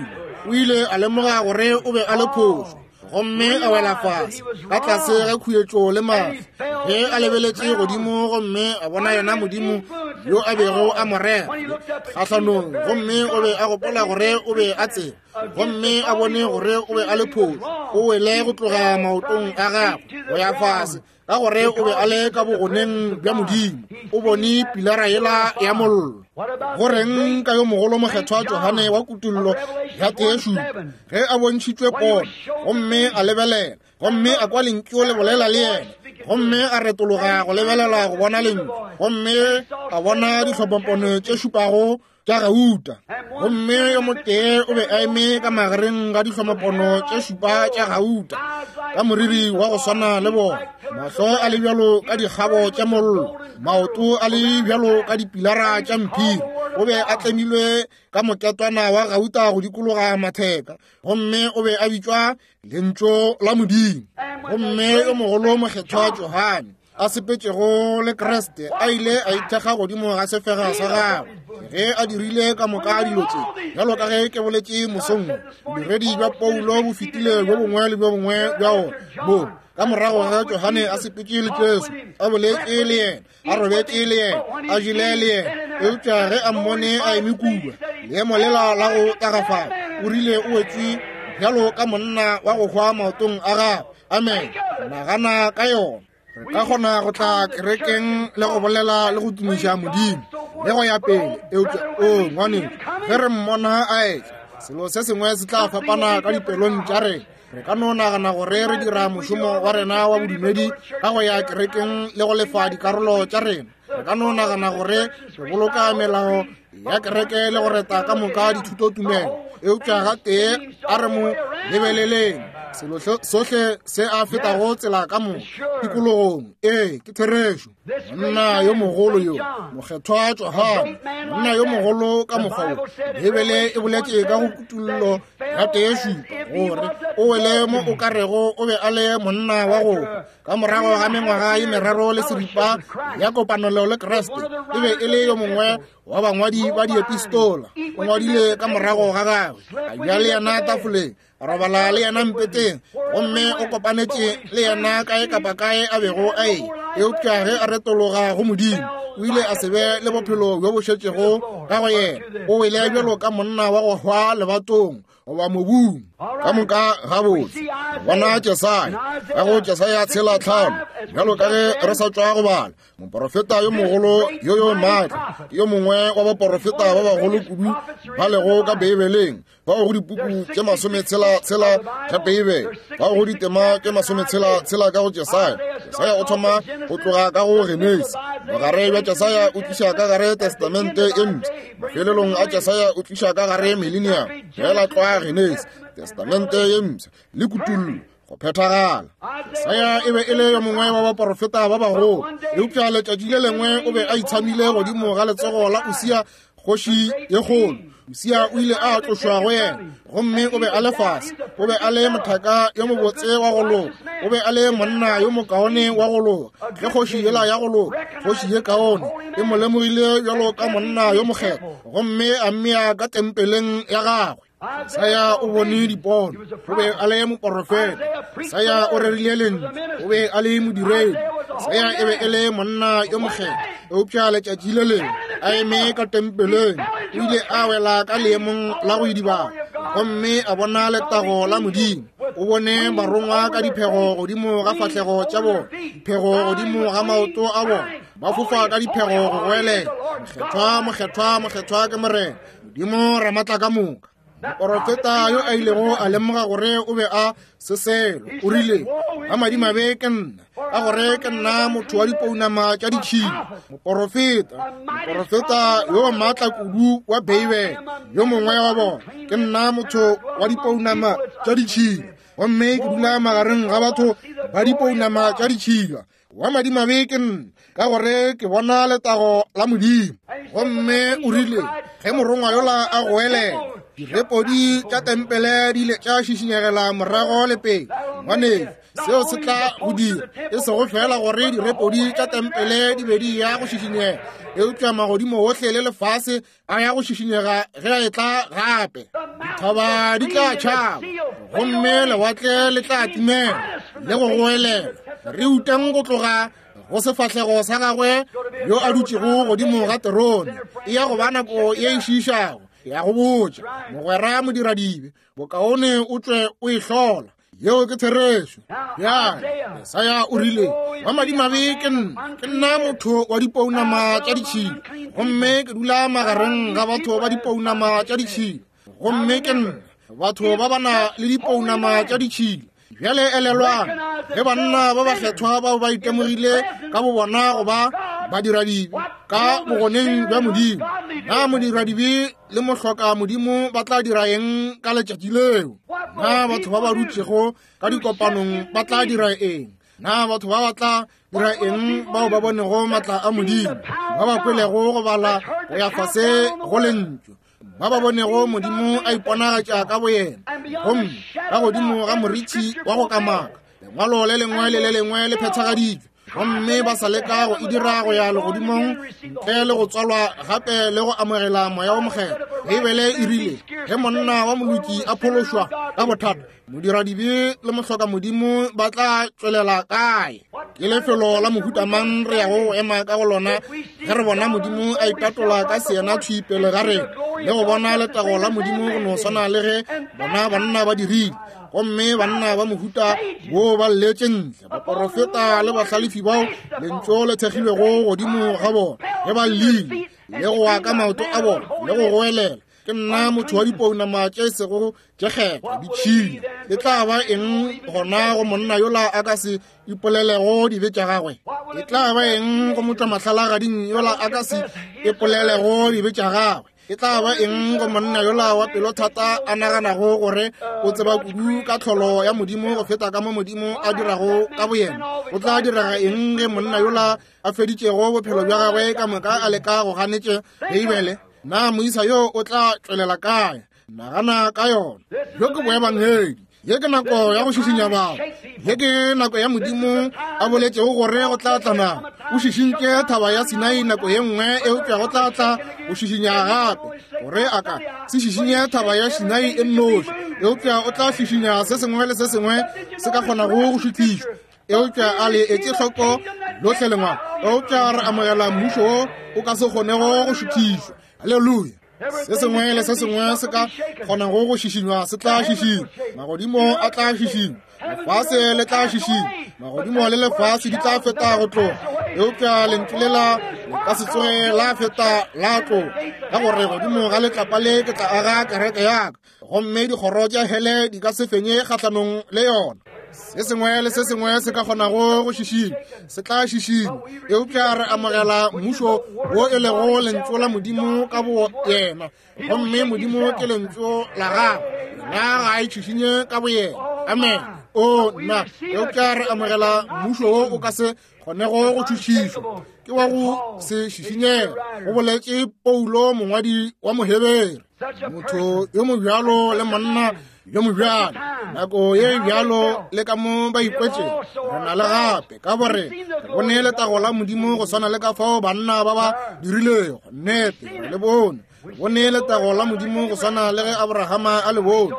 O ile a lemoga gore o be a le phošo, gomme a wela fase ka tlase ga khuetšo le mafi. Ge a lebeletše godimo gomme a bona yena Modimo yo a bego a mo rera kgahlanong, gomme o be a gopola gore o be a tseba, gomme a bone gore o be a le phošo, o wele go tloga maotong a gagwe go ya fase, ka gore o be a le ka bogoneng bja Modimo. O bone pilara yela ya mollo. Go reng ka yo mogolo mokgethwa Johane wa Kutullo ya tee šupa, ge a bontšhitšwe pono, gomme a lebelela, gomme a kwa lentšu le bolela le yena, gomme a retologa go lebelela go bona lentšu, gomme a bona dihlophapono tše šupago tša gauta, gomme yo motee o be a eme ka magareng ga dihlomapono tše šupa tša gauta, ka moriri wa go swana le bona, mahlo a le bjalo ka dikgabo tša mollo, maoto a le bjalo ka dipilara tša mphiri. O be a tlemilwe ka moketwana wa gauta go dikologa matheka, gomme o be a bitšwa Lentšu la Modimo. Gomme yo mogolo mokgethwa Johane a sepetšego le Kriste a ile a ithekga godimo ga sefega sa gagwe ge a dirile ka moka dilo tše. Bjalo ka ge ke boletše mosong, bodiredi bja Paulo bo fetile bjo bongwe le bjo bongwe bja ona mo ka morago ga Johane a sepetše le Jesu, a boletše le yena, a robetše le yena, a jele le yena, eupša ge a mmone a eme kua leemo lela la go tagafala, o rile o wetše bjalo ka monna wa go hwa maotong a gagwe. Amen. Nagana ka yona. Re ka kgona go tla kerekeng le go bolela le go tumiša Modimo le go ya pele, eupša o ngwaneng, ge re mmona a etla, selo se sengwe se tla fapana ka dipelong tša rena. Re ka no nagana gore re dira mošomo wa rena wa bodumedi ka go ya kerekeng le go lefa dikarolo tša rena. Re ka no nagana gore re boloka melao ya kereke le go reta ka moka dithutotumelo, eupša gatee a re mo lebeleleng selo sohle se a fetago tsela ka mo tikologong. Ee, ke therešo. Monna yo mogolo yo mokgethwa Johane, monna yo mogolo ka mokgwa wo, Bibele e boletše ka go Kutullo ya tee šupa gore o wele mo o ka rego o be a le monna wa go hwa. Ka morago ga mengwaga ye meraro le seripa ya kopanelo le Kriste, e be e le yo mongwe wa bangwadi ba diepistola. O ngwadile ka morago ga gagwe, a ja le yena tafoleng, a robala le yena mpeteng, gomme o kopanetše le yena kae kapa kae a bego a e. Eupša ge a retologa go Modimo, o ile a se be le bophelo bjo bo šetšego ka go yena. O wele bjalo ka monna wa go hwa lebatong goba mobung. Ka moka gabotse. Bona Jesaya, ka go Jesaya tshela tlhano, bjalo ka ge re sa tšwa go bala, moporofeta yo mogolo yo yo maatla, ke yo mongwe wa baporofeta ba bagolo kudu ba lego ka Beibeleng, bao go dipuku tše masometshela tshela tša Beibele, bao go ditema tše masometshela tshela ka go Jesaya. Jesaya o thoma go tloga ka go Genesi. Bogare bja Jesaya o tliša ka gare Testamente e mpsha. Mafelelong a Jesaya o tliša ka gare Millennium, fela tlwa Genesi, Testamente ye mpsha le Kutullo go phethagala. Jesaya e be e le yo mongwe wa baporofeta ba bagolo, eupša letšatši le lengwe o be a itshamile godimo ga letsogo la Usia kgoši ye kgolo. Usia o ile a tlošwa go yena, gomme o be a le fase. O be a le mothaka yo mobotse wa go loka, o be a le monna yo mokaone wa go loka. Ge kgoši yela ya go loka, kgoši ye kaone, e mo lemogile bjalo ka monna yo mokgethwa, gomme a mmea ka tempeleng ya gagwe. Jesaya o bone dipono, o be a le moporofeta. Jesaya o rerile lentšu, o be a le modiredi. Jesaya e be e le monna yo mokgethwa, eupša letšatši le lengwe a eme ka tempeleng, o ile a wela ka leemong la go idibala, gomme a bona letago la Modimo. O bone barongwa ka diphego godimo ga fahlego tša bona, diphego godimo ga maoto a bona, ba fofa ka diphego go goelela, Mokgethwa, mokgethwa, mokgethwa ke Morena Modimo Ramatla ka moka. Moporofeta yo a ilego a lemoga gore o be a se selo, o rile, a madimabe ke nna, ka gore ke nna motho wa dipounama tša ditšhila. Moporofeta, moporofeta yo maatla kudu wa Beibele, yo mongwe wa bona, ke nna motho wa dipounama tša ditšhila, gomme ke dula magareng ga batho ba dipounama tša ditšhila. Wa madimabe ke nna, ka gore ke bona letago la Modimo. Gomme o rile, ge morongwa yola a goelela, Direpodi tša tempele di ile tša šišinyegela morago le pele. Ngwanešu, seo se tla go dira e sego fela gore direpodi tša tempele di be di ya go šišinyega, eupša magodimo ohle le lefase a ya go šišinyega ge a etla gape. Dithaba di tla tšhaba gomme lewatle le tla timela le go goelela. Re utang go tloga go sefahlego sa gagwe yo a dutšego godimo ga terone. E ya go ba nako ye e šiišago. Ya go botša mogwera modiradibe, bokaone o tšwe o e hlola. Yeo ke therešo. Bjale Jesaya o rile, wa madimabe ke nna, ke nna motho wa dipounama tša ditšhila, gomme ke dula magareng ga batho ba dipounama tša ditšhila, gomme ke nna batho ba ba na le dipounama tša ditšhila. Bjale elelwang, ge banna ba bakgethwa bao ba itemogile ka bobona go ba badiradibe ka bogoneng bja Modimo, na modiradibe le mohloka Modimo ba tla dira eng ka letšatši leo? Na batho ba ba dutšego ka dikopanong ba tla dira eng? Na batho ba ba tla dira eng bao ba bonego matla a Modimo, ba ba kwelego go bala go ya fase go lentšu, ba ba bonego Modimo a iponagatša ka boyena, gomme ka godimo ga morithi wa go kamaka, lengwalo le lengwe le le lengwe le phethagaditšwe, gomme ba sa leka go e dira go ya legodimong ntle le go tswalwa gape le go amogela moya wo mokgethwa? Beibele e rile, ge monna wa moloki a phološwa ka bothata, modiradibe le mohloka Modimo ba tla tšwelela kae? Ke lefelo la mohuta mang re yago go ema ka go lona ge re bona Modimo a itatola ka seyena thwi pele ga rena le go bona letago la Modimo go no swana le ge bona banna ba dirile? Gomme banna ba mohuta wo ba lletše ntle, baporofeta le bahlalefi bao lentšu le thekgilwego godimo ga bona, ge ba llile le go wa ka maoto a bona le go goelela, ke nna motho wa dipounama tše sego tše kgethwa ditšhila. E tla ba eng gona go monna yola a ka se ipolelego dibe tša gagwe? E tla ba eng go motšwa mahlalagading yola a ka se ipolelego dibe tša gagwe? E tla ba eng go monna yola wa pelothata a naganago gore o tseba kudu ka tlholo ya Modimo go feta ka mo Modimo a dirago ka boyena? Go tla direga eng ge monna yola a feditšego bophelo bja gagwe ka moka a leka go ganetše Beibele? Na moisa yo o tla tšwelela kae? Nagana ka yona. Bjo ke boebangedi. Ye ke nako ya go šišinya batho. Ye ke nako ya Modimo a boletšego gore go tla tla nako. O šišintše thaba ya Sinai nako ye nngwe, eupša go tla tla go šišinya gape, gore a ka se šišinye thaba ya Sinai e nnoši, eupša o tla šišinya se sengwe le se sengwe se ka kgonago go šuthišwa. Eupša a le etše hloko lohle lengwalo, eupša re amogela mmušo wo o ka se kgonego go šuthišwa. Haleluya! Se sengwe le se sengwe se ka kgonago go šišinywa se tla šišinywa. Magodimo a tla šišinywa, lefase le tla šišinywa, magodimo le lefase di tla feta go tloga, eupša lentšu lela le ka se tsoge la feta la tloga, ka gore godimo ga letlapa le ke tla aga kereke ya ka, gomme dikgoro tša hele di ka se fenye kgahlanong le yona. Se sengwe le se sengwe se ka kgonago go šišinywa se tla šišinywa, eupša re amogela mmušo wo e lego lentšu la Modimo ka bo yena, gomme Modimo ke lentšu la gagwe, yena ga a itšhišinye ka boyena. Amen. O nna, eupša re amogela mmušo wo o ka se kgonego go tšhošišwa, ke wa go se šišinyega, go boletše Paulo mongwadi wa Mohebere. Motho yo mobjalo le monna yo mobjalo, nako ye bjalo le ka mo ba ikwetšego, re na le gape ka gore re bone letago la Modimo go swana le ka fao banna ba ba dirilego. Nnete, re le bone. Re bone letago la Modimo go swana le ge Abrahama a le bone.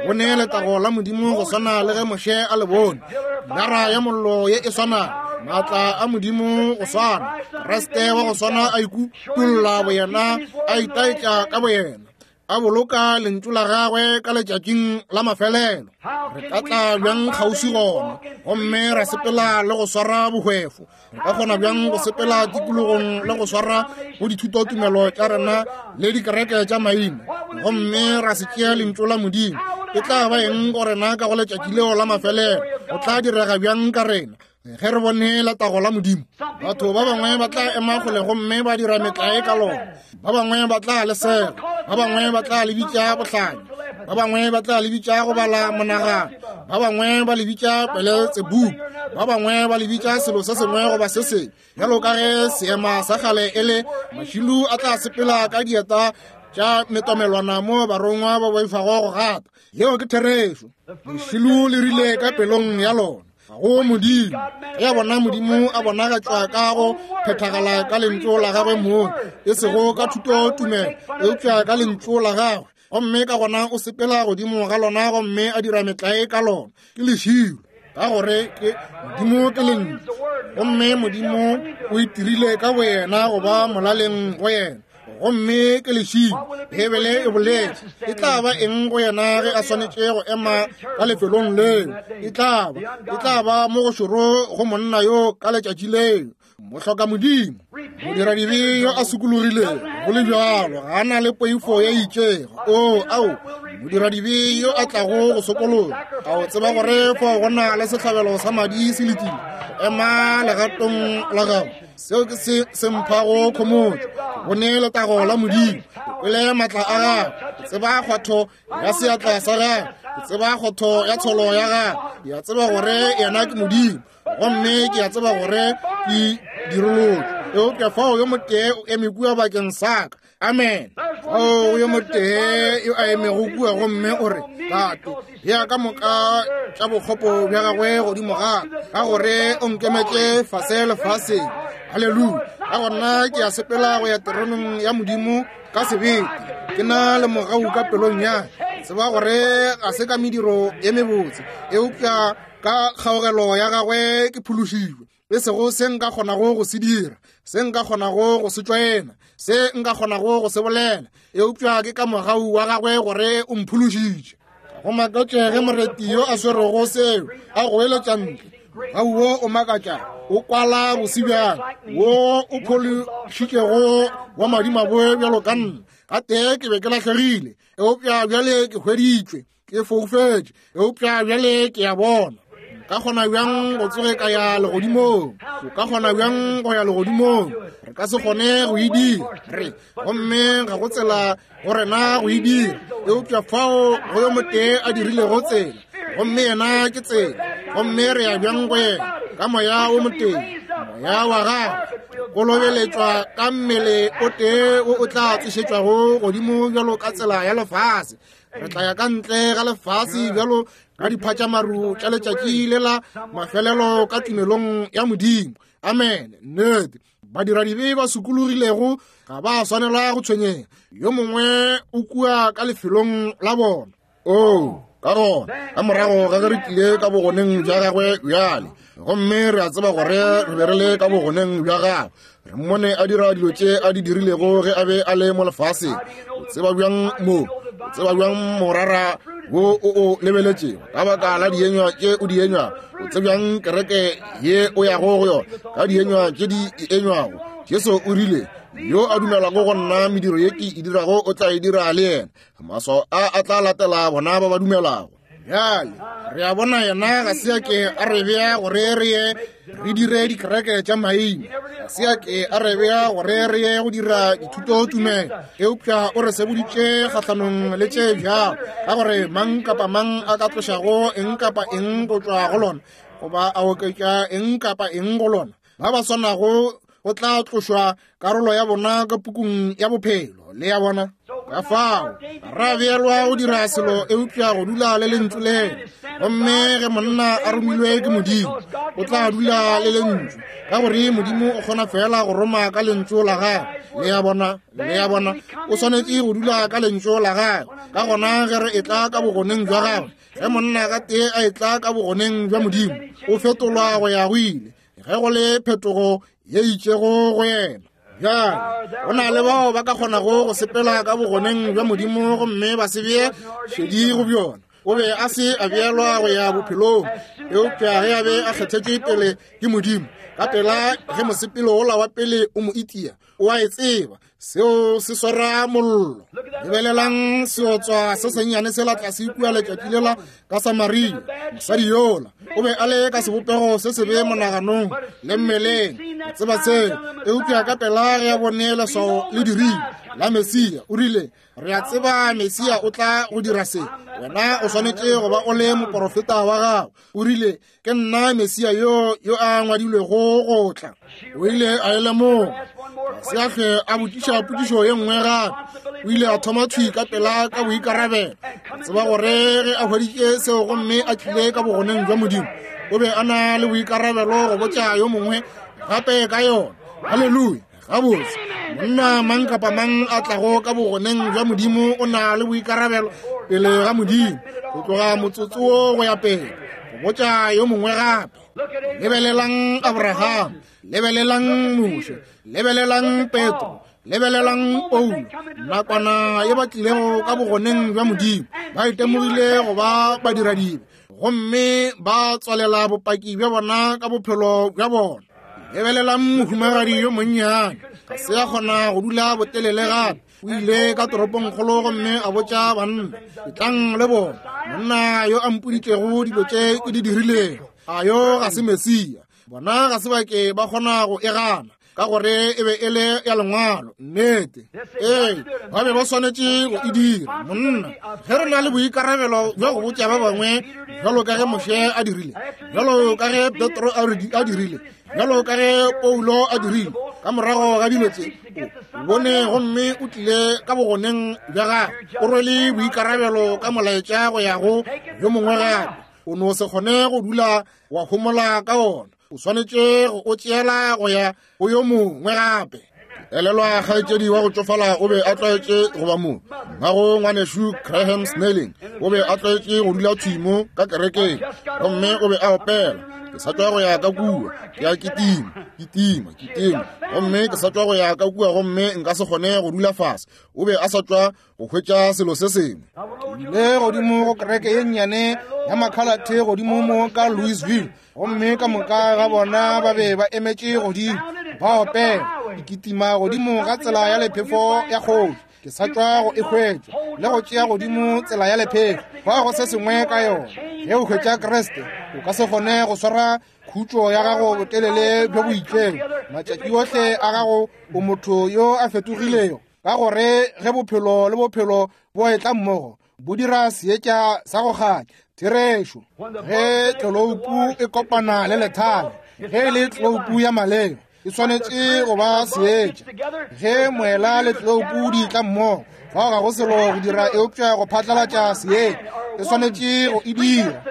Re bone letago la Modimo go swana le ge Moshe a le bone. Pilara ya mollo ye e swanago, maatla a Modimo go swana, Kriste wa go swana a ikutolla boyena, a itaetša ka boyena, a boloka lentšu la gagwe ka letšatšing la mafelelo. Re ka tla bjang kgauswi gona gomme ra sepela le go swara bohwefo? Re ka kgona bjang go sepela tikologong le go swara go dithutotumelo tša rena le dikereke tša maina, gomme ra se tšea lentšu la Modimo? E tla ba eng go rena ka go letšatši leo la mafelelo? Go tla direga bjang ka rena ge re bone letago la Modimo? Batho ba bangwe ba tla ema kgole gomme ba dira metlae ka lona, ba bangwe ba tla le sega, ba bangwe ba tla le bitša bohlanya, ba bangwe ba tla le bitša go bala monagano, ba bangwe ba le bitša Beletsebubu, ba bangwe ba le bitša selo se sengwe goba se sengwe. Bjalo ka ge seema sa kgale e le, mašilu a tla sepela ka dieta tša metomelwana mo barongwa ba boifago go gata. Yeo ke therešo. Lešilo le rile ka pelong ya lona, ga go Modimo. Ge a bona Modimo a bonagatšwa ka go phethagala ka lentšu la gagwe mong, e sego ka thutotumelo, eupša ka lentšu la gagwe, gomme ka gona o sepela godimo ga lona gomme a dira metlae ka lona, ke lešilo. Ka gore ke Modimo ke lentšu, gomme Modimo o itirile ka boyena go ba molaleng go yena, gomme ke lešilo. Bibele e boletše, e tla ba eng go yena ge a swanetše go ema ka lefelong leo? E tla ba, e tla ba mo go šoro go monna yo ka letšatši leo. Mohloka Modimo, modiradibe yo a sokologilego, go le bjalo ga a na le poifo ye itšego. O ao, modiradibe yo a tlago go sokologa, a o tseba gore fao go na le sehlabelo sa madi se letile ema legatong la gago. Seo ke se se mphago khomotšo. Ke bone letago la Modimo, ke kwele maatla a gagwe, ke tseba kgwatho ya seatla sa gagwe, ke tseba kgotho ya tsholo ya gagwe. Ke a tseba gore yena ke Modimo, gomme ke a tseba gore ke dirolotšwe. Eupša fao yo motee o eme kua bakeng sa ka. Amen. Fao yo motee yo a emego kua gomme o re, Tate, bea ka moka tša bokgopo bja gagwe godimo ga ka, gore o nkemetše fase lefaseng. Haleluya. Ka gona ke a sepela go ya teroneng ya Modimo ka sebete, ke na le mogau ka pelong ya ka. Tseba gore ga se ka mediro ye mebotse, eupša ka kgaogelo ya gagwe ke phološilwe. E sego se nka kgonago go se dira, se nka kgonago go se tšwaena, se nka kgonago go se bolela, eupša ke ka mogau wa gagwe gore o mphološitše. Go makatše ge moreti yo a swerego seo a goeletša ntle, mogau wo o makatša, o kwala bosebjang, wo o phološitšego wa madimabe bjalo ka nna. Gatee ke be ke lahlegile, eupša bjale ke hweditšwe, ke foufetše, eupša bjale ke a bona. Ka kgona bjang go tsoge ka ya legodimong? O ka kgona bjang go ya legodimong? Re ka se kgone go e dira, re gomme ga go tsela go rena go e dira, eupša fao go yo motee a dirilego tsela, gomme yena ke tsela, gomme re ya bjang go yena? Ka moya wo motee, moya wa gagwe, kolobeletšwa ka mmele o tee wo o tla tsošetšwago godimo bjalo ka tsela ya lefase. Re tla ya ka ntle ga lefase bjalo ka diphatšamaru tša letšatši le la mafelelo ka tumelong ya Modimo. Amen. Nnete. Badiradibe ba sokologilego ga ba swanela go tshwenyega. Yo mongwe o kua ka lefelong la bona. Oo, ka gona ka morago ga ge re tlile ka bogoneng bja gagwe bjale, gomme re a tseba gore re be re le ka bogoneng bja gagwe, re mmone a dira dilo tše a di dirilego ge a be a le mo lefaseng. O tseba bjang mo? O tseba bjang morara wo o o lebeletšego ka baka la dienywa tše o di enywago? O tsebjang kereke ye o yago go yona ka dienywa tše di e enywago? Jesu o rile, yo a dumelago go nna, mediro ye ke e dirago o tla e dira le yena. Maswao a a tla latela bona ba ba dumelago. Bjale re a bona yena ga se a ke a re bea gore re ye re dire dikereke tša maina, ga se a ke a re bea gore re ye go dira dithutotumelo, eupša o re seboditše kgahlanong le tše bjalo, ka gore mang kapa mang a ka tlošago eng kapa eng go tšwa go lona, goba a oketša eng kapa eng go lona, ba ba swanago go tla tlošwa karolo ya bona ka pukung ya bophelo. Le ya bona? Ka fao ra beelwa go dira selo eupša go dula le lentšu leo. Gomme ge monna a romilwe ke Modimo, o tla dula le lentšu, ka gore Modimo o kgona fela go roma ka lentšu la gagwe. Le ya bona? Le ya bona? O swanetše go dula ka lentšu la gagwe. Ka gona ge re etla ka bogoneng bja gagwe, ge monna ka tee a etla ka bogoneng bja Modimo, o fetolwa go ya go ile, ge go le phetogo ye itšego go yena. Bjale go na le bao ba ka kgonago go sepela ka bogoneng bja Modimo gomme ba se bee šedi go bjona. O be a se a beelwa go ya bophelong, eupša ge a be a kgethetšwe pele ke Modimo, ka pela ge mosepelo wola wa pele o mo itia, o a e tseba, seo se swara mollo. Lebelelang seotswa se sennyane sela tlase kua letšatši lela ka Samaria. Mosadi yola o be a le ka sebopego se sebe monaganong le mmeleng, o tseba seo, eupša ka pela ge a bone leswao le dirile, la Mesia. O rile, re a tseba Mesia o tla go dira se, wena o swanetše go ba o le moporofeta wa gago. O rile, ke nna Mesia yo yo a ngwadilwego go tla. O ile a e lemoga. Ga se a hlwe a botšiša potšišo ye nngwe gape. O ile a thoma thwi ka pela ka boikarabelo. A tseba gore ge a hweditše seo gomme a tlile ka bogoneng bja Modimo, o be a na le boikarabelo go botša yo mongwe gape ka yona. Haleluya. Gabotse, monna mang kapa mang a tlago ka bogoneng bja Modimo o na le boikarabelo pele ga Modimo go tloga motsotso wo go ya pele go botša yo mongwe gape. Lebelelang Abraham, lebelelang Moshe, lebelelang Petro, lebelelang Paulo. Nakwana ye ba tlilego ka bogoneng bja Modimo, ba itemogile go ba badiradibe gomme ba tswalela bopaki bja bona ka bophelo bja bona. Lebelelang mohumagadi yo monnyane, ga se a kgona go dula botelele gape. O ile ka toropongkgolo gomme a botša banna, etlang le bona monna yo a mpoditšego dilo tše ke di dirilego. A yo ga se Mesia? Bona ga se ba ke ba kgona go e gana, ka gore e be e le ya lengwalo. Nnete, ee, ba be ba swanetše go e dira. Monna, ge re na le boikarabelo bja go botša ba bangwe, bjalo ka ge Moshe a dirile, bjalo ka ge Petro a dirile, bjalo ka ge Paulo a dirile, ka morago ga dilo tše o bone gomme o tlile ka bogoneng bja gagwe, o rwele boikarabelo ka molaetša go ya go yo mongwe gape. O no se kgone go dula wa homola ka ona, o swanetše go o tšeela go ya go yo mongwe gape. Elelwa kgaetšedi wa go tšofala o be a tlwaetše go ba mo. Mmago ngwanešu Graham Snelling o be a tlwaetše go dula thwi mo ka kerekeng, gomme o be a opela, ke sa tšwa go ya ka kua, ke a kitima, kitima, kitima, gomme ke sa tšwa go ya ka kua gomme nka se kgone go dula fase. O be a sa tšwa go hwetša selo se sengwe. Ke ile godimo go kereke ye nnyane ya makhalathe godimo mo ka Louisville, gomme ka moka ga bona ba be ba emetše godimo ba opela, ke kitima godimo ga tsela ya lephefo ya kgoši. Ke sa tšwa go e hwetša le go tšea godimo tsela ya lephefo. Fa go se sengwe ka yona. Ge o hwetša Kriste, o ka se kgone go swara khutšo ya gago botelele bjo bo itšego. Matšatši ohle a gago o motho yo a fetogilego, ka gore ge bophelo le bophelo bo etla mmogo, bo dira seetša sa go kganya. Therešo, ge tloloupu e kopana le lethale, ge e le tloloupu ya maleba, e swanetše go ba seetša. Ge moela le tloloupu di tla mmogo, fao ga go selo go dira eupša go phatlalatša seetša, e swanetše go e dira.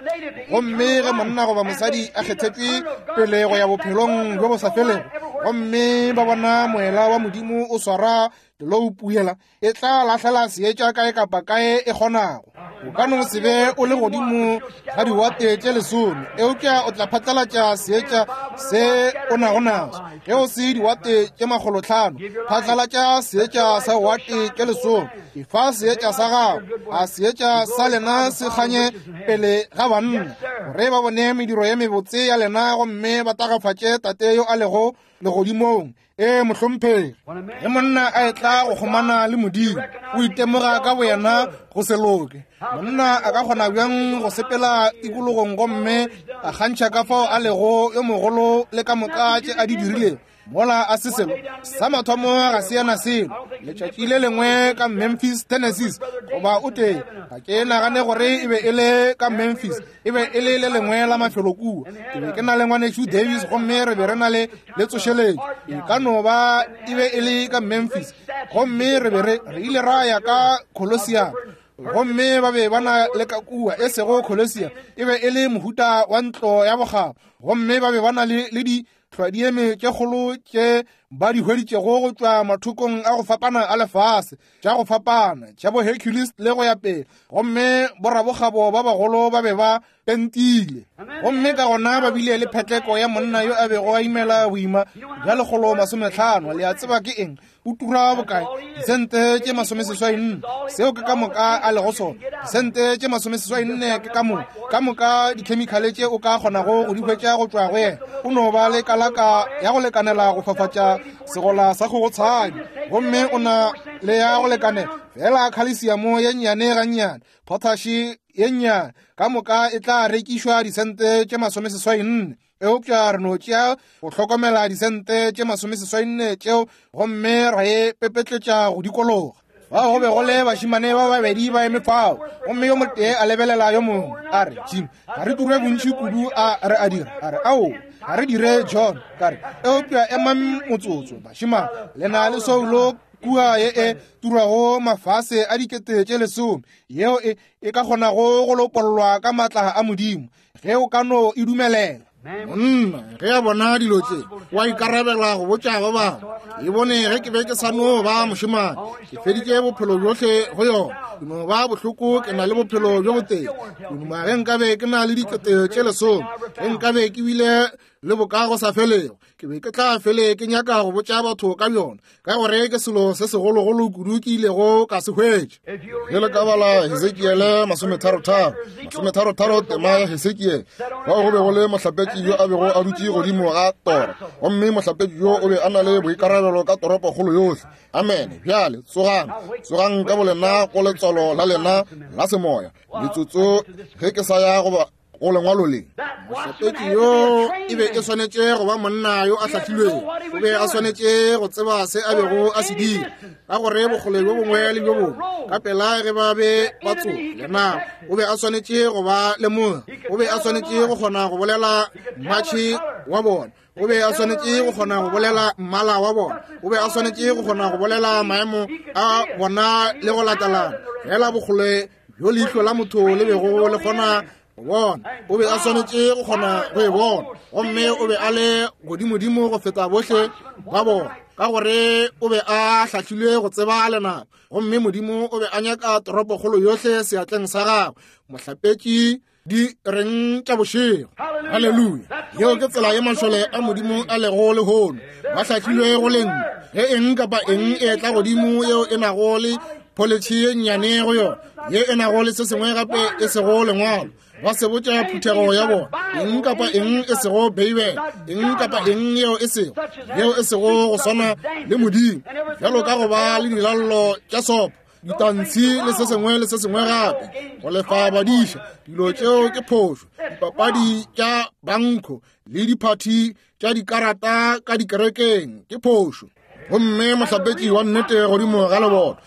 Gomme ge monna goba mosadi a kgethetšwe pele go ya bophelong bjo bo sa felego, gomme ba bona moela wa Modimo o swara tloloupu yela, e tla lahlela seetša kae kapa kae e kgonago. O ka no se be o le godimo ga diwate tše lesome, eupša o tla phatlalatša seetša se o nago naso. Ge o se diwate tše makgolotlhano, phatlalatša seetša sa wate tše lesome. Efa seetša sa gago, a seetša sa lena se kganye pele ga banna, gore ba bone mediro ye mebotse ya lena gomme ba tagafatše Tate yo a lego legodimong. Ee, mohlomphegi, ge monna a etla go kgomana le Modimo, o itemoga ka boyena go se loke. Monna a ka kgona bjang go sepela tikologong gomme a kgantšha ka fao a lego yo mogolo le ka moka tše a di dirilego, mola a se selo sa mathomo ga se yana selo. Letšatši le lengwe ka Memphis, Tennessee, goba o tee, ga ke nagane gore e be e le ka Memphis, e be e le le lengwe la mafelo kua. Ke be ke na le ngwanešu Davis gomme re be re na le le tsošeletšo. E ka no ba e be e le ka Memphis, gomme re be re re ile ra ya ka Colosseum, gomme ba be ba na le ka kua, e sego Colosseum, e be e le mohuta wa ntlo ya bokgabo, gomme ba be ba na le le di hlwadieme tše kgolo tše ba di hweditšego go tšwa mathokong a go fapana a lefase, tša go fapana tša bo Hercules le go ya pele, gomme borabokgabo ba bagolo ba be ba pentile. Gomme ka gona ba bile le phetleko ya monna yo a bego a imela boima bja lekgolo masometlhano. Le a tseba ke eng? O tura bokae? Disente tše masomeseswai nne. Seo ke ka moka a lego sona. Disente tše masomeseswai nne ke ka moka ka moka dikhemikhale tše o ka kgonago go di hwetša go tšwa go yena. O no ba le kalaka ya go lekanela go fafatša segola sa kgogotshadi, gomme o na le ya go lekanela fela khalesiamo ye nnyane gannyane, potashi ye nnyane, ka moka e tla rekišwa disente tše masomeseswai nne. Eupša re no tšea go hlokomela disente tše masomeseswainne tšeo gomme ra e pepetletša go dikologa. Bao go be go le bašemane ba babedi ba eme fao, gomme yo motee a lebelela yo mongwe a re, Jim, ga re ture bontši kudu a re a dira. A re, ao, ga re dire John. Ka re, eupša emang motsotso, bašemane, le na le soulo kua ye e turwago mafase a dikete tše lesome, yeo e, e ka kgonago go lopollwa ka maatla a Modimo, ge o ka no e dumelela. Monna ge a bona dilo tše wa ikarabela go botša ba bangwe. E bone ge ke be ke sa no ba mošemane, ke feditše bophelo bjohle go yona. Ke no ba bohloko, ke na le bophelo bjo botee. Ke duma ge nkabe ke na le dikete tše lesome, ge nkabe ke bile le bokago sa felego, ke be ke tla fele ke nyaka go botša batho ka bjona, ka gore ke selo se segologolo kudu ke ilego ka se hwetša. Ge le ka bala Hesekiele masometharotharo, masometharotharo tema ya Hesekiele, fao go be go le mohlapetši yo a bego a dutše godimo ga tora, gomme mohlapetši yo o be a na le boikarabelo ka toropokgolo yohle. Amene. Bjale tsogang, tsogang ka bolena go letswalo la lena la semoya. Metsotso ge ke sa ya goba go lengwalo le. Mohlapetši yo e be e swanetše go ba monna yo a hlahlilwego. O be a swanetše go tseba se a bego a se dira, ka gore bokgole bjo bongwe le bjo bongwe ka pela ge ba be ba tsoga lena, o be a swanetše go ba lemoga. O be a swanetše go kgona go bolela mmatšhi wa bona. O be a swanetše go kgona go bolela mmala wa bona. O be a swanetše go kgona go bolela maemo a bona le go latelana fela bokgole bjo leihlo la motho le bego le kgona go bona. O be a swanetše go kgona go e bona, gomme o be a le godimodimo go feta bohle ba bona, ka gore o be a hlahlilwe go tseba lenaba, gomme Modimo o be a nyaka toropokgolo yohle seatleng sa gagwe. Mohlapetši di reng tša bošego. Haleluya. Yeo ke tsela ye mašole a Modimo a lego lehono. Ba hlahlilwe go leng. Ge eng kapa eng e tla godimo yeo e nago le pholetšhe ye nnyane go yona, ye e nago le se sengwe gape e sego lengwalo, ba se botša phuthego ya bona. Eng kapa eng e sego Beibele, eng kapa eng yeo e sego, yeo e sego go swana le Modimo, bjalo ka go ba le dilallo tša sopo, ditantshi le se sengwe le se sengwe gape, go lefa badiša, dilo tšeo ke phošo. Dipapadi tša bankho le diphathi tša dikarata ka dikerekeng ke phošo. Gomme mohlapetši wa nnete godimo ga leboto,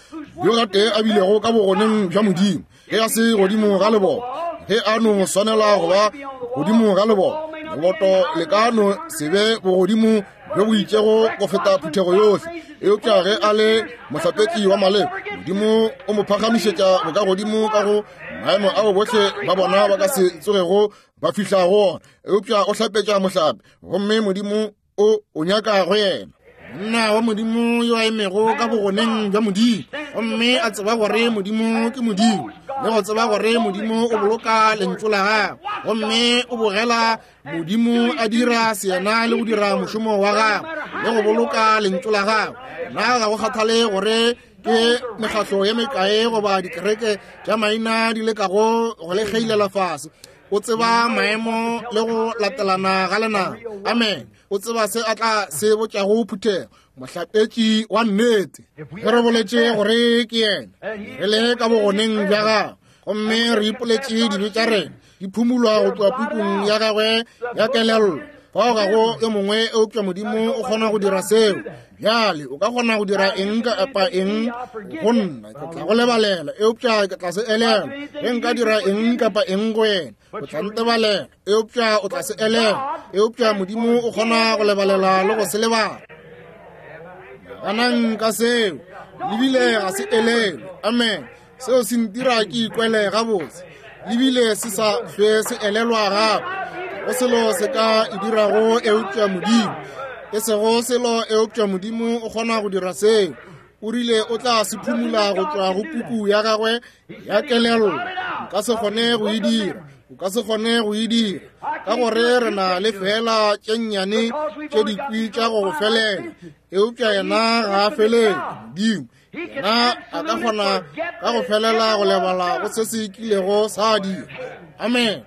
yo gatee a bilego ka bogoneng bja Modimo, ge a se godimo ga leboto, ge a no swanela go ba godimo ga leboto, leboto le ka no se be bogodimo bjo bo itšego go feta phuthego yohle, eupša ge a le mohlapetši wa maleba, Modimo o mo phagamišetša bokagodimo ka go maemo ao bohle ba bona ba ka se tsogego ba fihla go ona. Eupša o hlapetša mohlape, gomme Modimo o o nyaka go yena. Monna wa Modimo yo a emego ka bogoneng bja Modimo, gomme a tseba gore Modimo ke Modimo, le go tseba gore Modimo o boloka lentšu la gagwe, gomme o bogela Modimo a dira seyena le go dira mošomo wa gagwe le go boloka lentšu la gagwe. Nna ga go kgathale gore ke mekgatlo ye mekae goba dikereke tša maina di lekago go le kgeilela fase, o tseba maemo le go latelana ga lenaba. Amen. O tseba se a tla se botšago phuthego. Mohlapetši wa nnete, ge re boletše gore ke yena, re le ka bogoneng bja gagwe, gomme re ipoletše dibe tša rena di phumulwa go tloga pukung ya gagwe ya kelello. Fao ga go yo mongwe eupša Modimo o kgona go dira seo. Bjale o ka kgona go dira eng kapa eng go nna, ke tla go lebalela, eupša ke tla se elelwa. Ge nka dira eng kapa eng go yena, o tla ntebalela, eupša o tla se elelwa. Eupša Modimo o kgona go lebalela le go se lebala. Ganang ka seo, lebile ga se elelwe. Amen. Seo se ntira ke ikwele gabotse, lebile se sa hlwe se elelwa gape. Go selo se ka e dirago eupša Modimo, e sego selo eupša Modimo o kgona go dira seo. O rile o tla se phumula go tšwa go puku ya gagwe ya kelello. Nka se kgone go e dira, o ka se kgone go e dira, ka gore re na le fela tše nnyane tše dikwi tša go go felela, eupša yena ga a felele. Modimo yena a ka kgona ka go felela go lebala go se se kilego sa dira. Amen.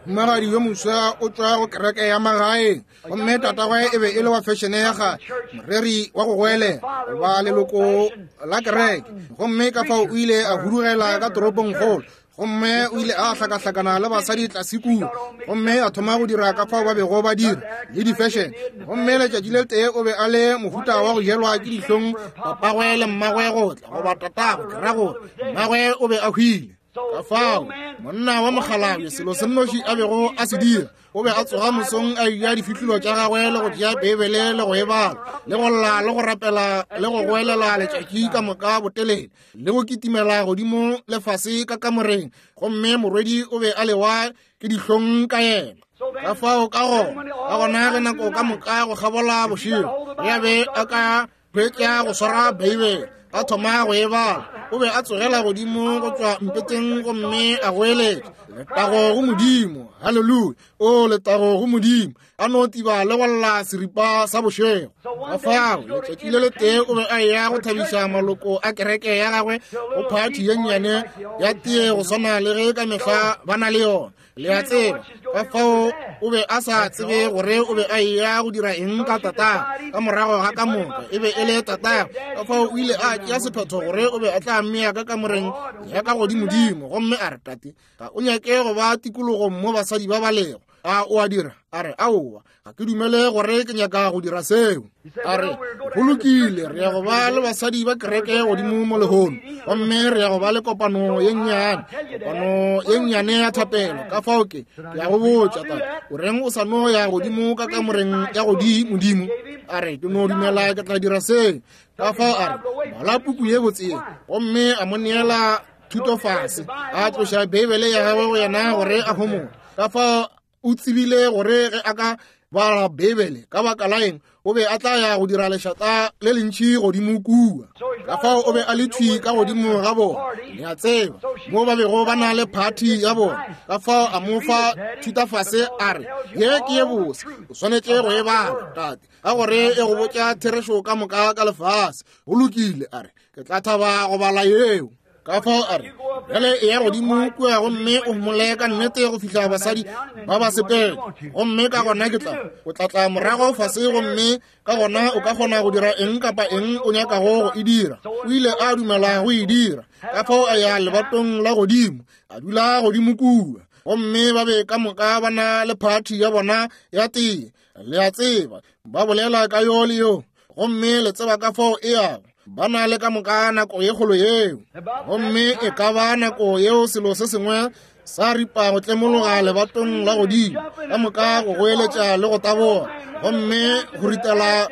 Mohumagadi yo moswa o tšwa go kereke ya magaeng, gomme tatagwe e be e le wa fešene ya kgale, moreri wa go goelela goba leloko la kereke. Gomme ka fao o ile a hudugela ka toropongkgolo, gomme o ile a hlakahlakana le basadi tlase kua, gomme a thoma go dira ka fao ba bego ba dira le di-fashion. Gomme letšatši le tee o be a le mohuta wa go jelwa ke dihlong papagwe le mmagwe go tla, goba tatagwe, ke ra gore mmagwe o be a hwile. Ka fao monna wa mokgalabje selo se nnoši a bego a se dira, o be a tsoga mosong a eja difihlolo tša gagwe le go tšea Beibele le go e bala le go lla le go rapela le go goelela letšatši ka moka botelele le go kitimela godimo le fase ka kamoreng. Gomme morwedi o be a lewa ke dihlong ka yena. Ka fao ka gona ka gona ge nako ka moka go kgabola bošego ya be a ka hwetša go swara Beibele a thoma go e bala, o be a tsogela godimo go tšwa mpeteng gomme a goeletša, letago go Modimo, haleluya, o letago go Modimo, a no tiba le go lla seripa sa bošego. Ka fao letšatši le letee o be a eya go thabiša maloko a kereke ya gagwe go phathi ye nnyane ya tee go swana le ge ka mehla ba na le yona, le a tseba. Ka fao o be a sa tsebe gore o be a eya go dira eng ka tatagwe ka morago ga ka moka, e be e le tatagwe. Ka fao o ile a tšea sephetho gore o be a tla mmea ka kamoreng ya ka godimodimo, gomme a re, tate, ga o nyake go ba tikologong mo basadi ba ba lego, a o a dira? A re, aowa, ga ke dumele gore ke nyaka go dira seo. A re, go lokile, re ya go ba le basadi ba kereke godimo mo lehono, gomme re ya go ba le kopano ye nnyane, kopano ye nnyane ya thapelo. Ka fao ke ke ya go botša tate, o reng o sa no ya godimo ka kamoreng ya godimodimo? A re, ke no dumela ke tla dira seo. Ka fao a re, bala puku ye botse ye, gomme a mo neela thuto fase, a tloša Beibele ya gagwe go yena gore a homole. Ka fao o tsebile gore ge a ka bala Beibele ka baka la eng o be a tla ya go dira lešata le lentši godimo kua. Ka fao o be a le thwi ka godimo ga bona, le a tseba, mo ba bego ba na le phathi ya bona. Ka fao a mo fa thutafase a re, ye ke ye bose, o swanetše go e bala tate, ka gore e go botša therešo ka moka ka lefase. Go lokile, a re, ke tla thaba go bala yeo. Ka fao a re, bjale e ya godimo kua gomme o homole ka nnete go fihla basadi ba ba sepela, gomme ka gona ke tla o tla tla morago fase, gomme ka gona o ka kgona go dira eng kapa eng o nyakago go e dira. O ile a dumela go e dira. Ka fao a ya lebatong la godimo, a dula godimo kua, gomme ba be ka moka ba na le phathi ya bona ya tee, le a tseba, ba bolela ka yo le yo, gomme le tseba ka fao e yago. Ba na le ka moka nako ye kgolo yeo, gomme e ka ba nako yeo selo se sengwe sa ripa go tlemologa lebatong la godimo, ka moka go goeletša le go taboga, gomme go ritela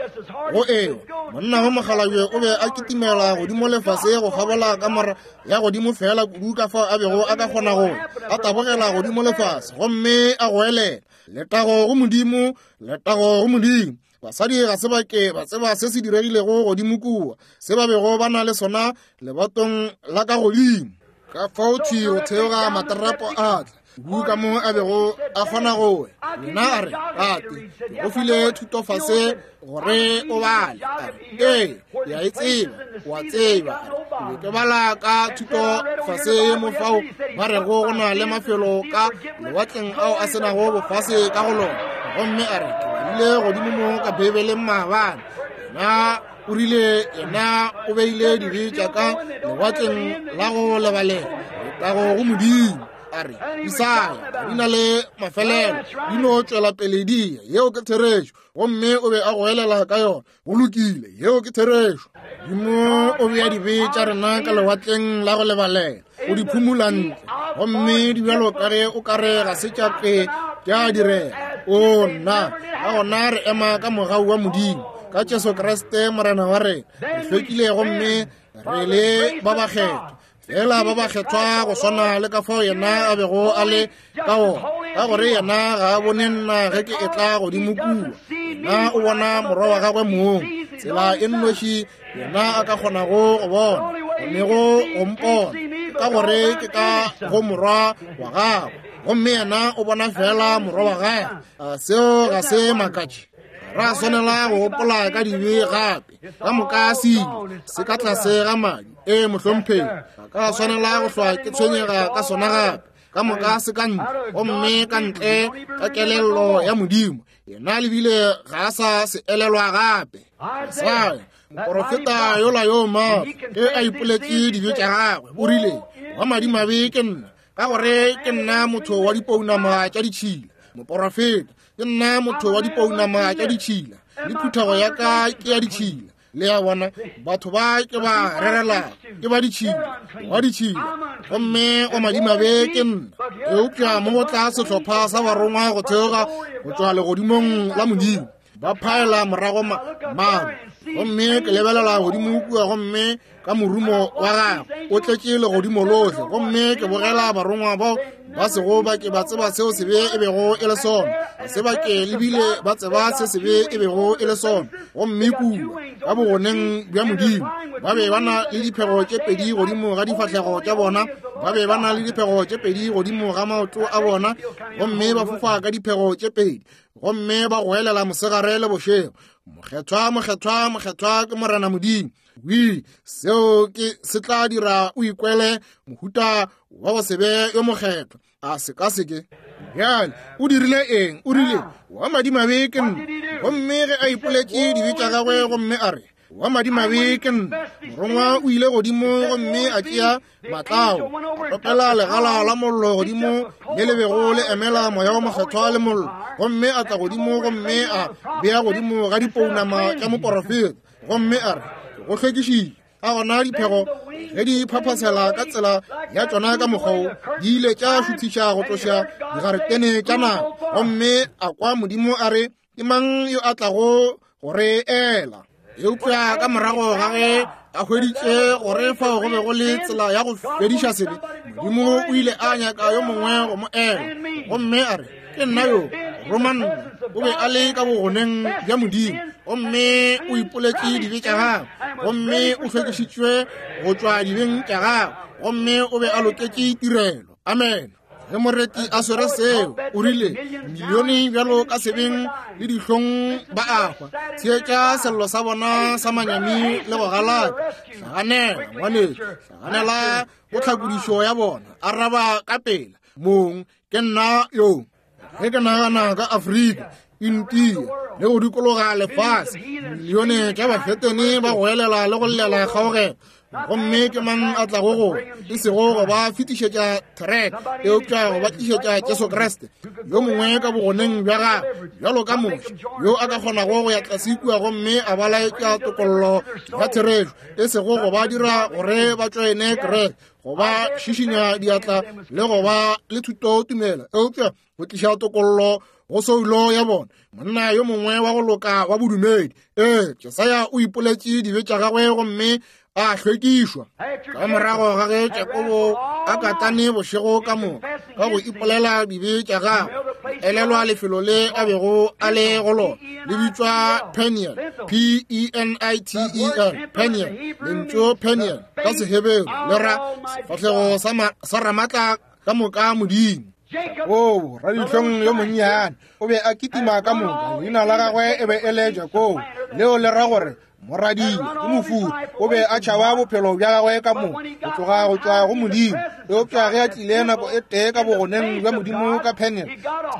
go eo. Monna wa mokgalabje o be a kitimela godimo lefase go kgabola kamora ya godimo fela kudu ka fao a bego a ka kgona go a tabogela godimo lefase, gomme a goelela, letago go Modimo, letago go Modimo. Basadi ga se ba ke ba tseba se se diregilego godimo kua, se ba bego ba na le sona lebatong la ka godimo. Ka fao thwi go theoga materapo a tla kudu ka mo a bego a kgona go ya. Nna a re, tate, ke go file thuto fase gore o bale. A re, ee, ke a e tseba, o a tseba. A re, ke be ke bala ka thuto fase ye mo fao ba rego go na le mafelo ka lewatleng ao a senago bofase ka go lona. Gomme a re, ke balile godimo mo ka Beibeleng maabane. Yena o rile, yena o beile dibe tša ka lewatleng la go lebalela, letago go Modimo. A re, Isaya, di na le mafelelo, di no tšwela pele di ya. Yeo ke therešo. Gomme o be a goelela ka yona. Go lokile, yeo ke therešo. Modimo o bea dibe tša rena ka lewatleng la go lebalela, o di phumula ntle, gomme di bjalo ka ge o ka re ga se tša ke tša direga. O nna, ka gona re ema ka mogau wa Modimo, ka Jesu Kriste Morena wa rena, re hlwekile gomme re le ba bakgethwa, fela ba bakgethwa go swana le ka fao yena a bego a le ka ona, ka gore yena ga a bone nna ge ke etla godimo kua. Yena o bona morwa wa gagwe mong, tsela e nnoši yena a ka kgonago go bona, gonego go mpona, ka gore ke ka go morwa wa gagwe, gomme yena o bona fela morwa wa gagwe. A seo ga se makatše? Ra swanela go gopola ka dibe gape, ka moka se ile se ka tlase ga madi. Ee, mohlomphegi, ga ka swanela go hlwa ke tshwenyega ka sona gape. Ka moka se ka ntle, gomme ka ntle ka kelello ya Modimo. Yena lebile ga a sa se elelwa gape. Isaya, moporofeta yola yo maatla, ge a ipoletše dibe tša gagwe, o rile, wa madimabe ke nna, ka gore ke nna motho wa dipounama tša ditšhila. Moporofeta, ke nna motho wa dipounama tša ditšhila, le phuthego ya ka ke ya ditšhila. Le a bona, batho ba ke ba rerela ke ba ditšhila, wa ditšhila, gomme wa madimabe ke nna. Eupša mo go tla sehlopha sa barongwa go theoga go tšwa legodimong la Modimo, ba phaela morago maru, gomme ke lebelela godimo kua, gomme ka morumo wa gagwe o tletše legodimo lohle, gomme ke bogela barongwa bao ba sego ba ke ba tseba seo sebe e bego e le sona, ga se ba ke lebile ba tseba se sebe e bego e le sona. Gomme kua ka bogoneng bja Modimo ba be ba na le diphego tše pedi godimo ga difahlego tša bona, ba be ba na le diphego tše pedi godimo ga maoto a bona, gomme ba fofa ka diphego tše pedi, gomme ba goelela mosegare le bošego, mokgethwa, mokgethwa, mokgethwa ke Morena Modimo. Wi, seo ke se tla dira o ikwele mohuta wa go se be yo mokgethwa. A se ka se ke. Bjale o dirile eng? O rile, wa madimabe ke nna. Gomme ge a ipoletše dibe tša gagwe, gomme a re, wa madimabe ke nna, morongwa o ile godimo gomme a tšea matlao, a topela legala la mollo godimo le le bego le emela moya wa mokgethwa le mollo, gomme a tla godimo gomme a bea godimo ga dipounama tša moporofeta, gomme a re, go hlwekišitše. Ka gona diphego ge di phaphasela ka tsela ya tšona ka mokgwa, di ile tša šuthiša go tloša digaretene tša naga, gomme a kwa Modimo a re, ke mang yo a tlago go re ela? Eupša ka morago ga ge a hweditše gore fao go be go le tsela ya go fediša sebe, Modimo o ile a nyaka yo mongwe go mo ela, gomme a re, ke nna yo, roma nna. O be a le ka bogoneng bja Modimo, gomme o ipoletše dibe tša gagwe, gomme o hlwekišitšwe go tšwa dibeng tša gagwe, gomme o be a loketše tirelo. Amen. Ge moreti a swere seo, o rile, milione bjalo ka sebeng le dihlong ba a hwa. Theetša sello sa bona sa manyami le go galaka. Hlaganela, ngwanešu, hlaganela go tlhakodišo ya bona. Araba ka pela, mong, ke nna yo. Ge ke nagana ka Afrika, India, le go dikologa lefase, milione tša bafetene ba goelela le go llela kgaogelo, gomme ke mang a tlago go e sego go ba fetišetša thereke, eupša go ba tlišetša Jesu Kriste, yo mongwe ka bogoneng bja gagwe, bjalo ka Moshe, yo a ka kgonago go ya tlase kua gomme a ba laetša tokollo ya therešo, e sego go ba dira gore ba tšoene kereke, go ba šišinya diatla le go ba le thutotumelo, eupša go tliša tokollo go soulo ya bona. Monna yo mongwe wa go loka wa bodumedi. Ee, Jesaya o ipoletše dibe tša gagwe gomme a hlwekišwa. Ka morago ga ge Jakobo a katane bošego ka moka ka go ipolela dibe tša gagwe, elelwa lefelo le a bego a le go lona, le bitšwa Peniel, P E N I T E L, Peniel. Lentšu Peniel ka Seheberu le ra sefahlego sa Ramatla ka moka Modimo. O radihlong yo monnyane o be a kitima ka moka, leina la gagwe e be e le Jakobo, leo le ra gore moradia ke mofuri. O be a tšhaba bophelo bja gagwe ka moka go tloga go tšwa go Modimo, eupša ge a tlile nako e tee ka bogoneng bja Modimo ka Peniel,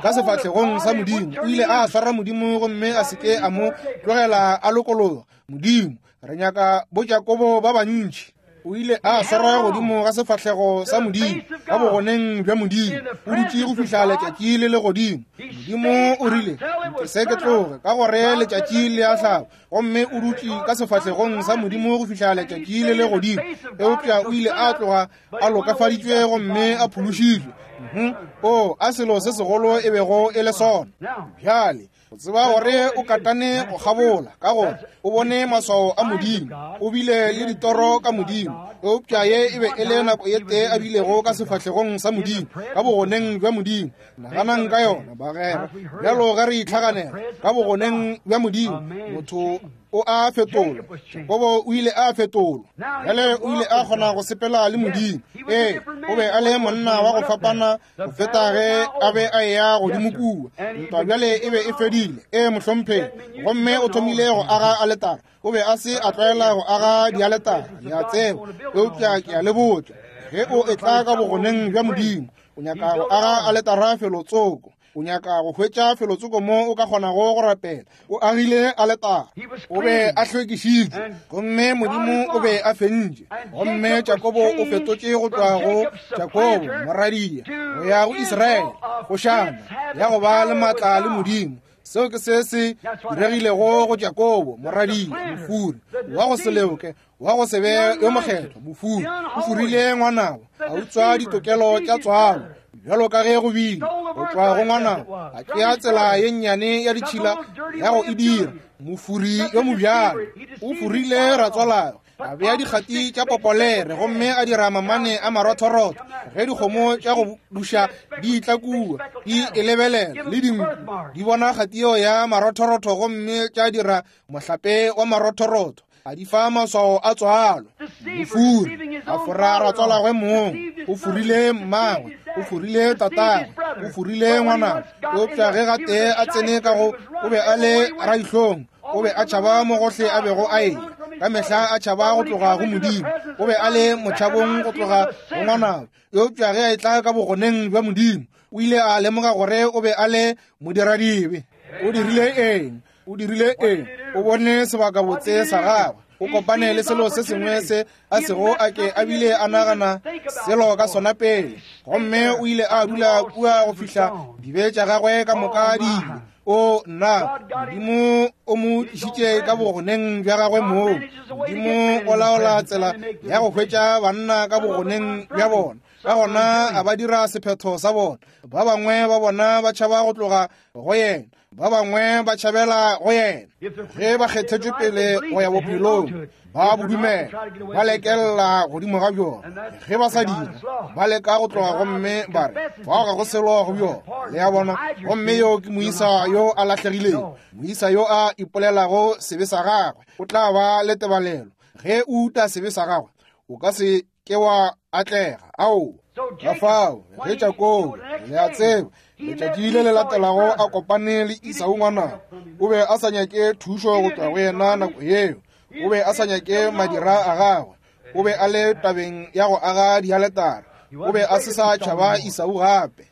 ka sefahlegong sa Modimo, o ile a swara Modimo gomme a se ke a mo tlogela a lokologa. Modimo, re nyaka bo Jakobo ba bantši. O ile a swara godimo ga sefahlego sa Modimo ka bogoneng bja Modimo, o dutše go fihla letšatši le le godimo. Modimo o rile, nke se ke tloge, ka gore letšatši le a hlaba, gomme o dutše ka sefahlegong sa Modimo go fihla letšatši le le godimo. Eupša o ile a tloga a lokafaditšwe gomme a phološitšwe. O a selo se segolo e bego e le sona. Bjale o tseba gore o katane go kgabola, ka gore o bone maswao a Modimo, o bile le ditoro ka Modimo, eupša ye e be e le nako ye tee a bilego ka sefahlegong sa Modimo, ka bogoneng bja Modimo. Naganang ka yona, bagwera, bjalo ge re itlhaganela ka bogoneng bja Modimo, motho o a fetolwa. Jakobo o ile a fetolwa. Bjale o ile a kgona go sepela le Modimo. Ee, o be a le monna wa go fapana go feta ge a be a eya godimo kua. Ntwa bjale e be e fedile. Ee, mohlomphegi. Gomme o thomile go aga aletara. O be a se a tlwaela go aga dialetara, le a tseba, eupša ke a le botša, Ge o etla ka bogoneng bja Modimo, o nyaka go aga aletara felotsoko. O nyaka go hwetša felotsoko mo o ka kgonago go rapela. O agile aletara. O be a hlwekišitšwe, gomme Modimo o be a fentše. Gomme Jakobo o fetotše go tšwa go Jakobo moradia go ya go Israele, kgošana ya go ba le maatla le Modimo. Seo ke se se diregilego go Jakobo moradia, mofuri wa go se leoke, wa go se be yo mokgethwa, mofuri. O furile ngwanabo, a utswa ditokelo tša tswalo, bjalo ka ge go bile go tšwa go ngwanabo, a tšea tsela ye nnyane ya ditšhila ya go e dira. Mofuri yo mobjalo o furile ratswalagwe, a bea dikgati tša popolere gomme a dira mamane a marothorotho. Ge dikgomo tša go duša di tla kua di e lebelela le dinku di bona kgati yeo ya marothorotho gomme tša dira mohlape wa marothorotho, a di fa maswao a tswalo. Mofuri a fora ratswalagwe mong, o furile mmagwe, o furile tatagwe, o furile ngwanabo. Eupša ge gatee a tsene ka go, o be a le raihlong, o be a tšhaba mo gohle a bego a eya, ka mehla a tšhaba go tloga go Modimo. O be a le motšhabong go tloga go ngwanabo. Eupša ge a etla ka bogoneng bja Modimo, o ile a lemoga gore o be a le modiradibe. O dirile eng? O dirile eng? O bone sebakabotse sa gagwe. O kopane le selo se sengwe se a sego a ke a bile a nagana selo ka sona pele, gomme o ile a dula kua go fihla dibe tša gagwe ka moka di ile. O nna, Modimo o mo tlišitše ka bogoneng bja gagwe moo. Modimo o laola tsela ya go hwetša banna ka bogoneng bja bona. Ka gona a ba dira sephetho sa bona. Ba bangwe ba bona ba tšhaba go tloga go yena, ba bangwe ba tšhabela go yena. Ge ba kgethetšwe pele go ya bophelong, ba bodumela, ba lekelela godimo ga bjona. Ge ba sa dira, ba leka go tloga gomme ba re fao ga go selo go bjona. Le a bona? Gomme yo ke moisa yo a lahlegilego, moisa yo a ipolelago sebe sa gagwe. O tla ba le tebalelo. Ge o uta sebe sa gagwe, o ka se ke wa atlega. Ao, ka fao ge Jakobo, le a tseba, letšatši le le latelago a kopane le Esau ngwanabo, o be a sa nyake thušo go tšwa go yena nako yeo. O be a sa nyake madira a gagwe. O be a le tabeng ya go aga dialetara. O be a se sa tšhaba Esau gape.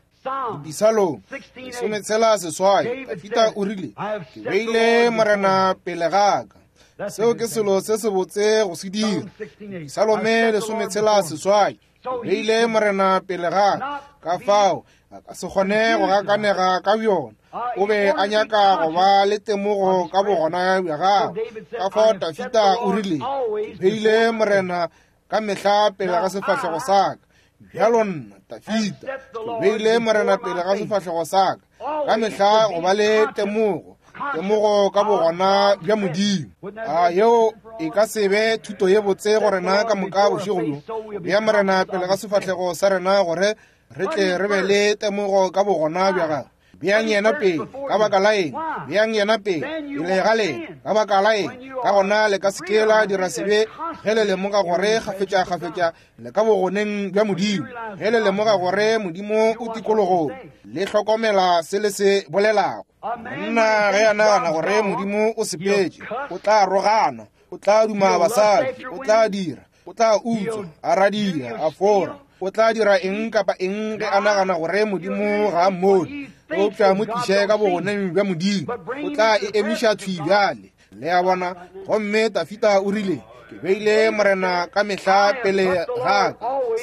Dipisalong lesometshela seswai, Dafida o rile, ke beile Morena pele ga ka. Seo ke selo se sebotse go se dira. Dipisalome lesometshela seswai, beile Morena pele ga ka. Ka fao a ka se kgone go gakanega ka bjona. O be a nyaka go ba le temogo ka bogona bja gagwe. Ka fao Dafida o rile, ke beile Morena ka mehla pele ga sefahlego sa ka. Bjalo nna Dafida ke beile Morena pele ga sefahlego sa ka, ka mehla go ba le temogo, temogo ka bogona bja Modimo. A yeo e ka se be thuto ye botse go rena ka moka bošego bjo, bea Morena pele ga sefahlego sa rena gore re tle re be le temogo ka bogona bja gagwe. Beang yena pele, ka baka la eng? Beang yena pele, pele ga lena, ka baka la eng? Ka gona le ka se ke la dira sebe ge le lemoga gore kgafetša-kgafetša le ka bogoneng bja Modimo. Ge le lemoga gore Modimo o tikologong, le hlokomela se le se bolelago. Monna ge a nagana gore Modimo o sepetše, o tla rogana, o tla duma basadi, o tla dira, o tla utswa, a radia, a fora. O tla dira eng kapa eng ge a nagana gore Modimo ga a mmone. Eupša mo tliše ka bogoneng bja Modimo, o tla e emiša thwi bjale. Le a bona? Gomme Dafida o rile, ke beile Morena ka mehla pele ga ka.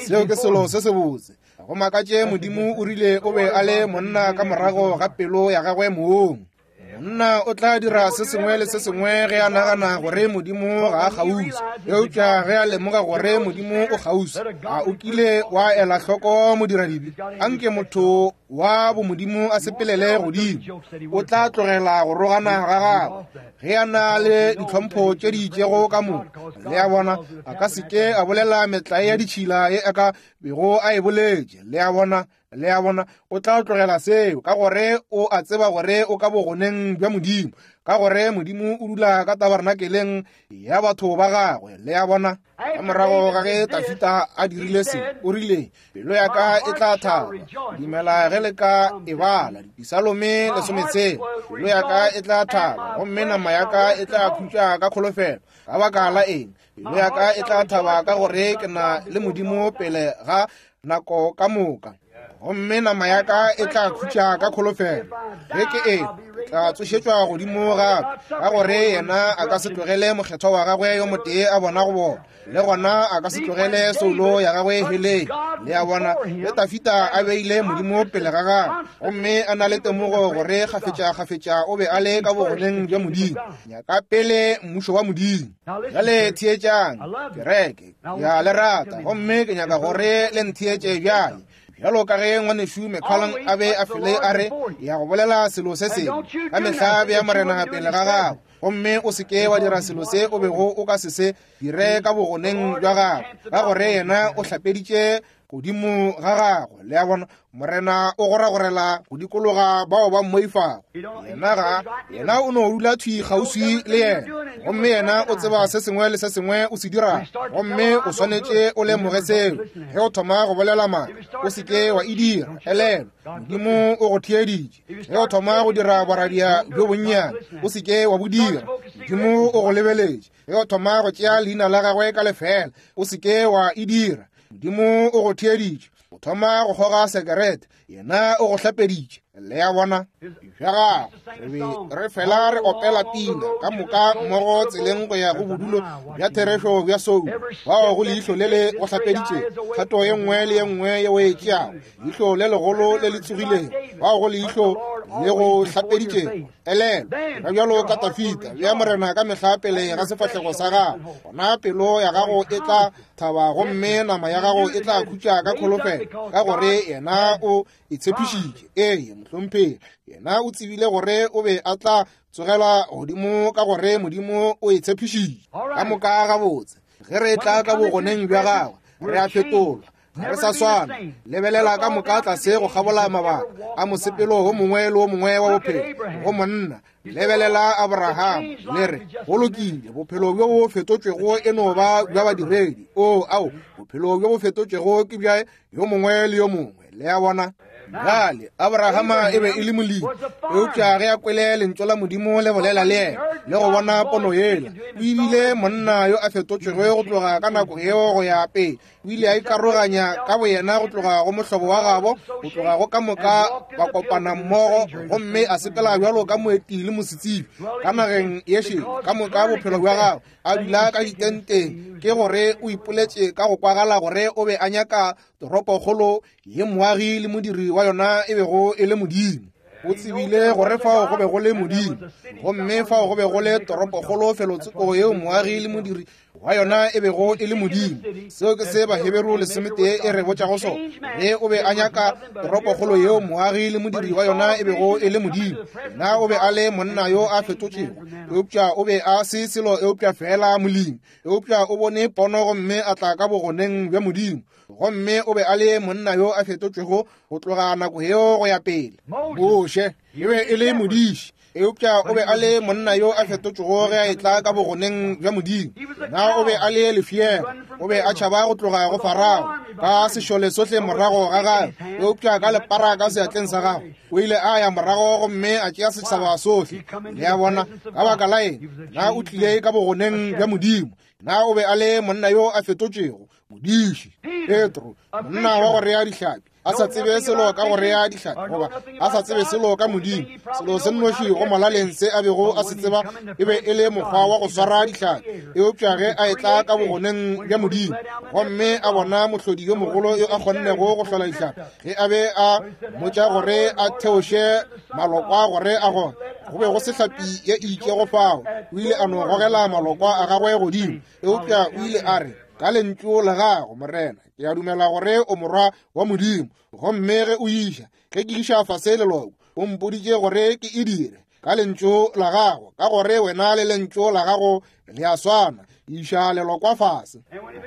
Seo ke selo se sebotse. Go makatše Modimo o rile o be a le monna ka morago ga pelo ya gagwe mong. Monna o tla dira se sengwe le se sengwe ge a nagana gore Modimo ga a kgauswi. Eupša ge a lemoga gore Modimo o kgauswi, a o kile wa ela hloko modiradibe? Anke motho wa bomodimo a sepelele godimo, o tla tlogela go rogana ga gagwe ge a na le ditlhompho tše di itšego ka moka. Le a bona? A ka se ke a bolela metlae ya ditšhila ye a ka bego a e boletše. Le a bona? Le a bona? O tla tlogela seo ka gore o a tseba gore o ka bogoneng bja Modimo. Ka gore Modimo o dula ka tabernakeleng ya batho ba gagwe. Le a bona? Ka morago ga ge Tafita a dirile se, o rile, pelo ya ka e tla thaba. Dumela ge le ka e bala Dipisalome lesometshela. Pelo ya ka e tla thaba, gomme nama ya ka e tla khutša ka kholofelo. Ka baka la eng? Pelo ya ka e tla thaba ka gore ke na le Modimo pele ga nako ka moka. Gomme nama ya ka e tla khutša ka kholofelo. Ge ke e tla tsošetšwa godimo gape, ka gore yena a ka se tlogele mokgethwa wa gagwe yo motee a bona go bona, le gona a ka se tlogele soulo ya gagwe heleng. Le a bona, ge Tafita a beile Modimo pele ga gagwe, gomme a na le temogo gore kgafetša-kgafetša o be a le ka bogoneng bja Modimo. Nyaka pele mmušo wa Modimo. Bjale theetšang, kereke, ke a le rata, gomme ke nyaka gore le ntheetše bjale. Bjalo ka ge ngwanešu McCollum a be a fele a re, ya go bolela selo se sengwe ka mehla bea Morena pele ga gago, gomme o se ke wa dira selo se o bego o ka se se dire ka bogoneng bja gago, ka gore yena o hlapeditše godimo ga gago. Le a bona, Morena o goragorela go dikologa bao ba mmoifago. Yena ga yena o no dula thwi kgauswi le yena, gomme yena o tseba se sengwe le se sengwe o se dirago, gomme o swanetše o lemoge seo. Ge o thoma go bolela maaka, o se ke wa e dira. Elelwa, Modimo o go theeditše. Ge o thoma go dira boradia bjo bonnyane, o se ke wa bo dira. Modimo o go lebeletše. Ge o thoma go tšea leina la gagwe ka lefela, o se ke wa e dira. Modimo o go theeditše. O thoma go kgoga sekerete, yena o go hlapeditše. Le a bona? Bja gago, re be re fela re opela pina ka moka mmogo tseleng go ya go bodulo bja therešo bja soulo, bao go leihlo le le go hlapeditšego, kgato ye nngwe le ye nngwe ye o e tšeago, leihlo le legolo le le tsogilego, bao go leihlo le go hlapeditšego. Elelwa, ga bjalo ka Tafita, bea Morena ka mehla pele ga sefahlego sa gago, gona pelo ya gago e tla thaba gomme nama ya gago e tla khutša ka kholofelo, ka gore yena o e tshepišitše. Ee, mohlomphegi, yena o tsebile gore o be a tla tsogela godimo ka gore Modimo o e tshepišitše. Ka moka gabotse, ge re tla ka bogoneng bja gagwe, re a fetolwa, ga re sa swana. Lebelela ka moka tlase go kgabola mabaka a mosepelo wo mongwe le wo mongwe wa bophelo go monna. Lebelela Abraham, le re, go lokile, bophelo bjo bo fetotšwego e no ba bja badiredi. O, ao, bophelo bjo bo fetotšwego ke bja yo mongwe le yo mongwe. Le a bona? Bjale, Abrahama e be e le molemi, eupša ge a kwele lentšu la Modimo le bolela le yena le go bona pono yela, o ebile monna yo a fetotšwego go tloga ka nako yeo go ya pele. O ile a ikaroganya ka boyena go tloga go mohlobo wa gabo, go tloga go ka moka ba kopana mmogo, gomme a sepela bjalo ka moeti le mosetsebje ka nageng ye šele ka moka bophelo bja gagwe, a dula ka ditenteng. Ke gore o ipoletše ka go kwagala gore o be a nyaka toropokgolo ye moagi le modiri wa yona e bego e le Modimo. O tsebile gore fao go be go le Modimo, gomme fao go be go le toropokgolo felotsoko yeo moagi le modiri wa yona e bego e le Modimo. Seo ke se Baheberu lesometee e re botšago sona. Ge o be a nyaka toropokgolo yeo moagi le modiri wa yona e bego e le Modimo, yena o be a le monna yo a fetotšego, eupša o be a se selo eupša fela molemi. Eupša o bone pono gomme a tla ka bogoneng bja Modimo, gomme o be a le monna yo a fetotšwego go tloga nako yeo go ya pele. Moshe e be e le modiši, eupša o be a le monna yo a fetotšwego ge a etla ka bogoneng bja Modimo. Na o be a le lefiela, o be a tšhaba go tloga go Farao ka sešole sohle morago ga gagwe, eupša ka lepara ka seatleng sa gagwe o ile a ya morago gomme a tšea setšhaba sohle. Le a bona? Ka baka la eng? Na o tlile ka bogoneng bja Modimo. Na o be a le monna yo a fetotšwego, modiši. Petro, monna wa go rea dihlapi, a sa tsebe selo ka go rea dihlapi, goba a sa tsebe selo ka Modimo. Selo se nnoši go molaleng se a bego a se tseba e be e le mokgwa wa go swara dihlapi. Eupša ge a etla ka bogoneng bja Modimo gomme a bona mohlodi yo mogolo yo a kgonnego go hlola dihlapi, ge a be a mmotša gore a theoše malokwa gore a gone, go be go se hlapi ye e itšego fao, o ile a no gogela malokwa a gagwe godimo. Eupša o ile a re, ka lentšu la gago, Morena, ke a dumela gore o morwa wa Modimo, gomme ge o iša, ge ke iša fase leloko, o mpoditše gore ke e dire ka lentšu la gago, ka gore wena le lentšu la gago le a swana. Iša lelokwa fase.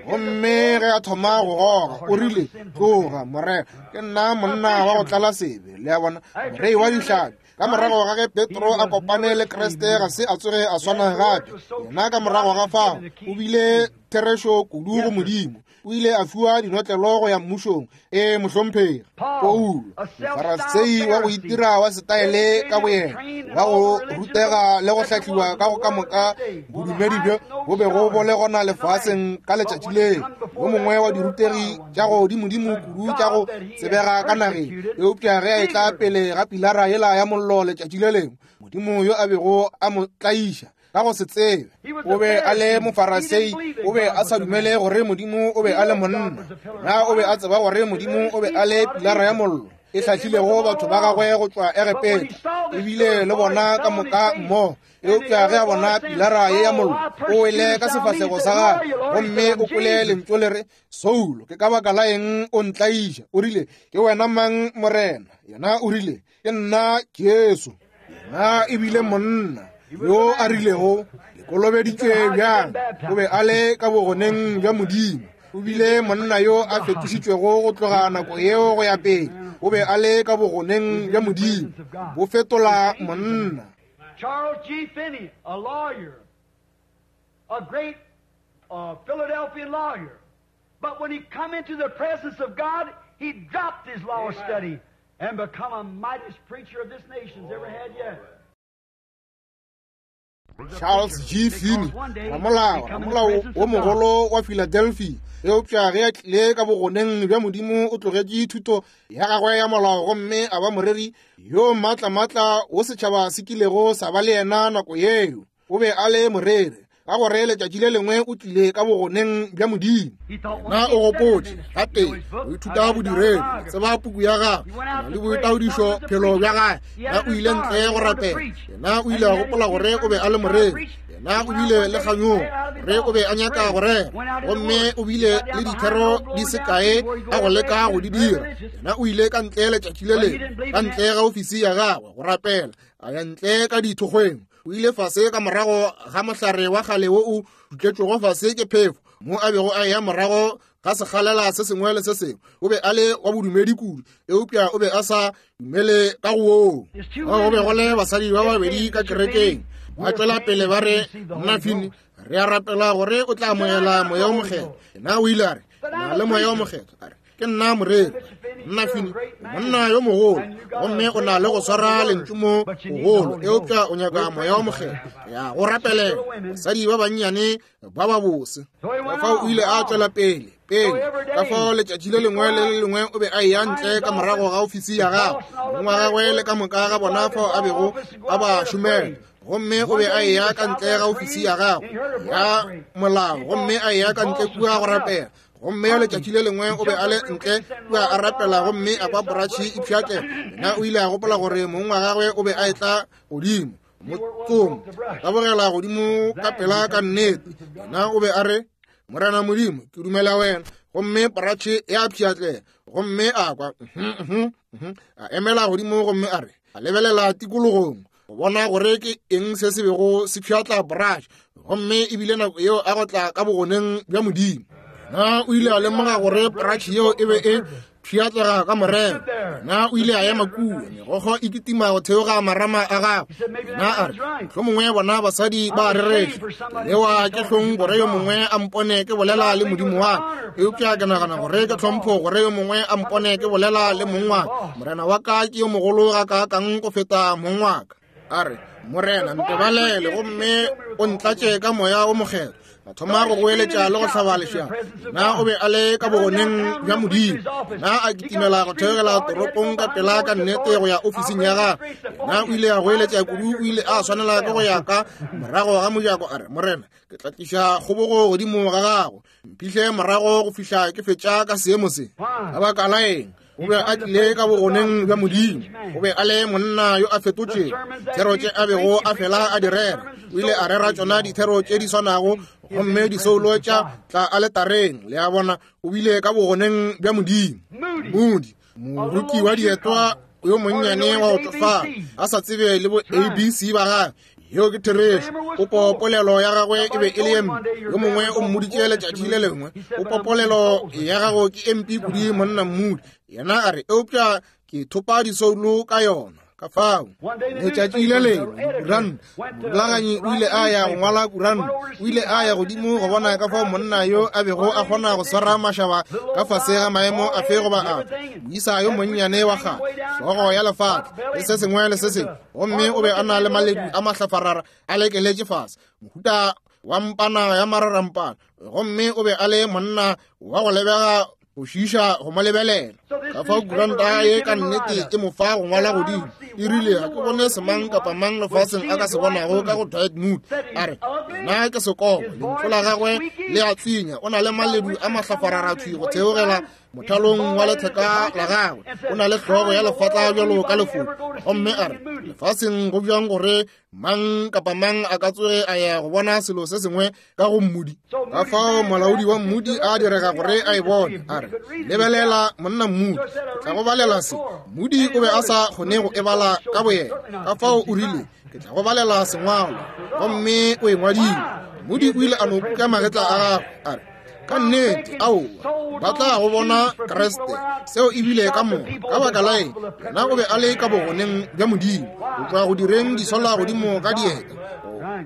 Gomme ge a thoma go goga, o rile, tloga, Morena, ke nna monna wa go tlala sebe. Le a bona? Morei wa dihlapi. Ka morago ga ge Petro a kopane le Kriste ga se a tsoge a swana gape. Yena ka morago ga fao o bile therešo kudu go Modimo. O ile a fiwa dinotlelo go ya mmušong. E mohlomphegi Paulo, mofarasei wa go itira wa setaele ka boyena, wa go rutega le go hlahliwa ka go ka moka bodumedi bjo bo bego bo le gona lefaseng ka letšatši leo, yo mongwe wa dirutegi tša godimodimo kudu tša go tsebega ka nageng. Eupša ge a etla pele ga pilara yela ya mollo letšatši le lengwe, Modimo yo a bego a mo tlaiša ka go se tsebe, o be a le mofarasei, o be a sa dumele gore Modimo o be a le monna. Na o be a tseba gore Modimo o be a le pilara ya mollo e hlahlilego batho ba gagwe go tšwa Egepeta, ebile le bona ka moka mmogo. Eupša ge a bona pilara ye ya mollo, o wele ka sefahlego sa gagwe, gomme o kwele lentšu le re, Saulo, ke ka baka la eng o ntlaiša? O rile, ke wena mang, Morena? Yena o rile, ke nna Jesu. Yena ebile monna yo a rilego, le kolobeditšwe bjang? O be a le ka bogoneng bja Modimo. O bile monna yo a fetošitšwego go tloga nako yeo go ya pele. O be a le ka bogoneng bja Modimo, bo fetola monna. Charles G. Finney, a lawyer, a great uh, Philadelphian lawyer. But when he come into the presence of God, he dropped his law study and become a mightiest preacher of this nation's ever had yet. Charles G. Finney, ramolao, ramolao wo mogolo wa Philadelphia. Eupša ge a tlile ka bogoneng bja Modimo, o tlogetše thuto ya gagwe ya molao gomme a ba moreri yo maatlamatla wo setšhaba se kilego sa ba le yena nako yeo. O be a le moreri ka gore letšatši le lengwe o tlile ka bogoneng bja Modimo. Na o gopotše gape o ithuta bodiredi, tseba puku ya gagwe le boitaodišo phelo bja gagwe. Na o ile ntle go rapela. Yena o ile a gopola gore o be a le moreri. Yena o bile le kganyogo gore o be a nyaka go rera, gomme o bile le dithero di se kae a go leka go di dira. Yena o ile ka ntle letšatši le lengwe, ka ntle ga ofisi ya gagwe go rapela, a ya ntle ka dithokgweng. O ile fase ka morago ga mohlare wa kgale wo o dutletšwego fase ke phefo, mo a bego a ya morago ga sekgalela se sengwe le se sengwe. O be a le wa bodumedi kudu, eupša o be a sa dumele ka go woo. Go be go le basadi ba babedi ka kerekeng, ba tšwela pele ba re, Mna Finney, re a rapela gore o tla amogela Moya o Mokgethwa. Yena o ile a re, na le Moya o Mokgethwa. A re, ke nna moreri. Mna Finney, monna yo mogolo, gomme o na le go swara lentšu mo bogolo, eupša o nyaka Moya o Mokgethwa. Ya go rapelela basadi ba bannyane ba ba bose. Ka fao o ile a tšwela pele pele. Ka fao letšatši le lengwe le le lengwe o be a eya ntle ka morago ga ofisi ya gagwe, mong wa gagwe le ka moka ga bona fao a bego a ba šomela. Gomme o be a eya ka ntle ga ofisi ya gagwe ya molao, gomme a eya ka ntle kua go rapela. Gomme letšatši le lengwe o be a le ntle kua a rapela, gomme a kwa poratšhe e pšhatlega. Yena o ile a gopola gore mong wa gagwe o be a etla godimo motsomo, tabogela godimo ka pela ka nnete. Yena o be a re, Morena Modimo, ke dumela wena. Gomme poratšhe ya pšhatlega, gomme a kwa a emela godimo, gomme a re, a lebelela tikologong go bona gore ke eng se se bego se pšhatla poratšhe. Gomme ebile nako yeo a go tla ka bogoneng bja Modimo. Na o ile a lemoga gore poratšhe yeo e be e pšhatlega ka morero. Na o ile a ema kua, megokgo e kitima go theoga marama a gagwe. Na a re, mohlomongwe bona basadi ba rereša, lewa ke hlong gore yo mongwe a mpone ke bolela le Modimo wa ka, eupša ke nagana gore ke tlhompho gore yo mongwe a mpone ke bolela le mong wa ka. Morena wa ka ke yo mogolo ga kaakang go feta mong wa ka. A re, Morena, ntebalele gomme o ntlatše ka Moya o Mokgethwa. A thoma go goeletša le go hlaba lešaka. Na o be a le ka bogoneng bja Modimo. Na a kitimela go theogela toropong ka pela ka nnete go ya ofising ya gagwe. Na o ile a goeletša kudu, o ile a swanela ke go ya ka morago ga mojako. A re, Morena, ke tla tliša kgobogo godimo ga gago, mphihle morago go fihla ke fetša ka seemo se. Ka baka la eng? O be a tlile ka bogoneng bja Modimo. O be a le monna yo a fetotšego. Thero tše a bego a fela a di rera, o ile a rera tšona dithero tše di swanago, gomme disoulo tša tla aletareng. Le a bona, o bile ka bogoneng bja Modimo. Moody, moruki wa dietwa yo monnyane wa go tšofala, a sa tsebe le bo A B C ba gagwe. Yeo ke therešo. Popopolelo ya gagwe e be e le empe. Yo mongwe o mmoditše letšatši le lengwe, popopolelo ya gago ke empe kudu, monna Moody. Yena a re, eupša ke thopa disoulo ka yona. Ka fao letšatši le lengwe kuranta morulaganyi o ile a ya go ngwala kuranta, o ile a ya godimo go bona ka fao monna yo a bego a kgona go swara mašaba ka fase ga maemo afe goba afe. Moisa yo monnyane wa kgale, hlogo ya lefatla le se sengwe le se sengwe, gomme o be a na le maledu a mahlafarara a lekeletše fase, mohuta wa mpana ya mararampana, gomme o be a le monna wa go lebega go šiiša go mo lebelela. Ka fao kuranta ye ka nnete e mo fa go ngwala godimo, e rile ga ke bone semang kapa mang lefaseng a ka se bonago ka go Dwight Moody. A re nna ke sekobo, lentšu la gagwe le a tswinya, o na le maledu a mahlafararathwi go theogela mothalong wa letheka la gagwe, o na le hlogo ya lefatla bjalo ka lefofu. Gomme a re lefaseng go bjang gore mang kapa mang a ka tsoge a ya go bona selo se sengwe ka go Moody. Ka fao molaodi wa Moody a direga gore a e bone. A re lebelela monna Moody, ke tla go balela se. Moody o be a sa kgone go e bala ka boyena, ka fao o rile ke tla go balela sengwalo, gomme o e ngwadile. Moody o ile a no kuka magetla a gagwe, a re ka nnete aowa, ba tla go bona Kriste. Seo ebile ka moka ka baka la eng yena o be a le ka bogoneng bja Modimo, go tloga go direng disola godimo ka dieta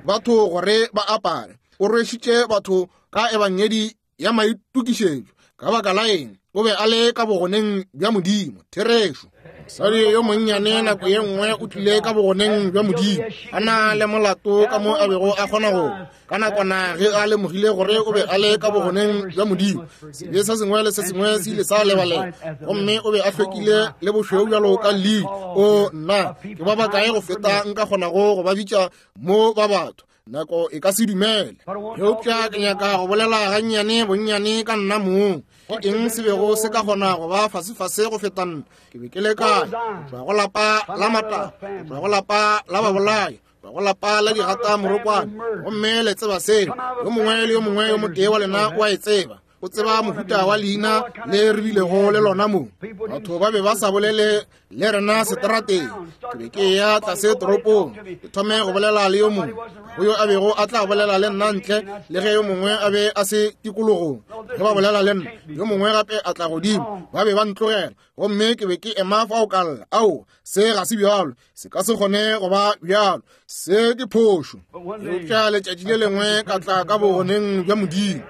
batho gore ba apare. O rwešitše batho ka ebangedi ya maitokišetšo. Ka baka la eng o be a le ka bogoneng bja Modimo. Therešo. Mosadi yo monnyane nako ye nngwe o tlile ka bogoneng bja Modimo, a na le molato ka mo a bego a kgona go. Ka nakwana ge a lemogile gore o be a le ka bogoneng bja Modimo, sebe se sengwe le se sengwe se ile sa lebalela, gomme o be a hlwekile le bošweu bjalo ka lili. O nna, ke ba bakae go feta nka kgonago go ba bitša mo ba batho, nako e ka se dumele. Eupša ke nyaka go bolela gannyane bonnyane ka nna mong. Ke eng se bego se ka kgona go ba fasefase go feta nna? Ke be ke le kae? Go tšwa go lapa la matala, go tšwa go lapa la babolai, go tšwa go lapa la digata morokwane. Gomme le tseba seo, yo mongwe le yo mongwe yo motee wa lena o a e tseba. O tseba mohuta wa leina le re bilego le lona mo. Batho ba be ba sa bolele le rena seterateng. Ke be ke ya tlase toropong, ke thome go bolela le yo mongwe, go yo a bego a tla bolela le nna ntle le ge yo mongwe a be a se tikologong. Ge ba bolela le nna, yo mongwe gape a tla godimo, ba be ba ntlogela, gomme ke be ke ema fao ka lla. Ao, se ga se bjalo, se ka se kgone go ba bjalo, se ke phošo. Eupša letšatši le lengwe ka tla ka bogoneng bja Modimo.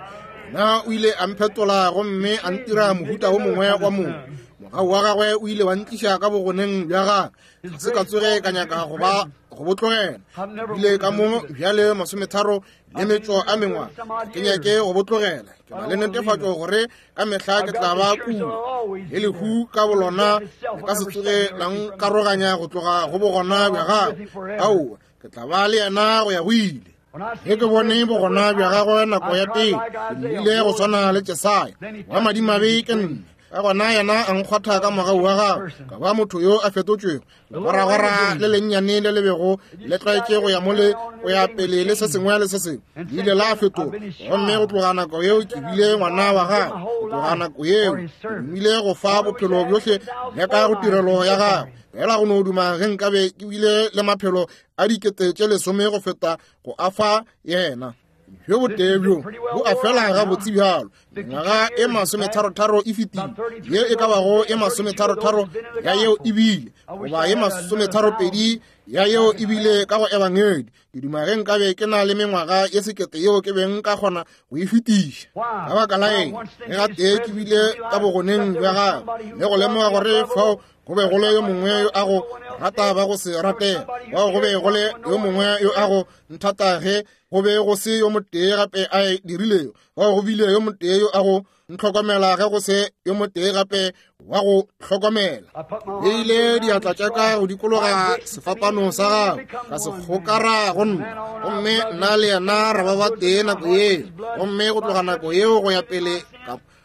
Na o ile a mphetola gomme a ntira mohuta wo mongwe wa motho. Mogau wa gagwe o ile wa ntliša ka bogoneng bja gagwe. Ga se ka tsoge ka nyaka go ba go bo tlogela. Bile ka mo bjale masometharo le metšo a mengwaga, ke nyake go bo tlogela. Ke na le netefatšo gore ka mehla ke tla ba kua, le lehu ka bolona le ka se tsoge la nkaroganya go tloga go bogona bja gagwe. Aowa, ke tla ba le yena go ya go ile. Ge ke bone bogona bja gagwe nako ya pele, ke ile go swana le Jesaya wa madimabe ke nna. Ka gona yena a nkgwatha ka mogau wa gagwe, ka ba motho yo a fetotšwego. Legwaragwara le lennyane le le bego le tlwaetše go ya mo le go ya pele le se sengwe le se sengwe le ile la fetoga, gomme go tloga nako yeo ke bile ngwana wa gagwe. Go tloga nako yeo ke dumile go fa bophelo bjohle bja ka go tirelo ya gagwe. Fela go no duma ge nkabe ke bile le maphelo a dikete tše lesome go feta go a fa yena. Bjo botee bjo bo a fela gabotse bjalo. Mengwaga e masometharotharo e fetile, ye e ka bago e masometharotharo ya yeo e bile, goba ye masometharopedi ya yeo e bile ka go ebangedi. Ke duma ge nkabe ke na le mengwaga ye sekete yeo ke beng ka kgona go e fetiša. Ka baka la eng ge gatee ke bile ka bogoneng bja gagwe le go lemoga gore fao go be go le yo mongwe yo a go rata ba go se ratela, bao go be go le yo mongwe yo a go nthata ge go be go se yo motee gape a e dirilego, bao go bile yo motee yo a go ntlhokomela ge go se yo motee gape wa go hlokomela. Beile diatla tša ka go dikologa sefapano sa gagwe, ka se kgokara go nna, gomme nna le yena ra ba ba tee nako yeo. Gomme go tloga nako yeo go ya pele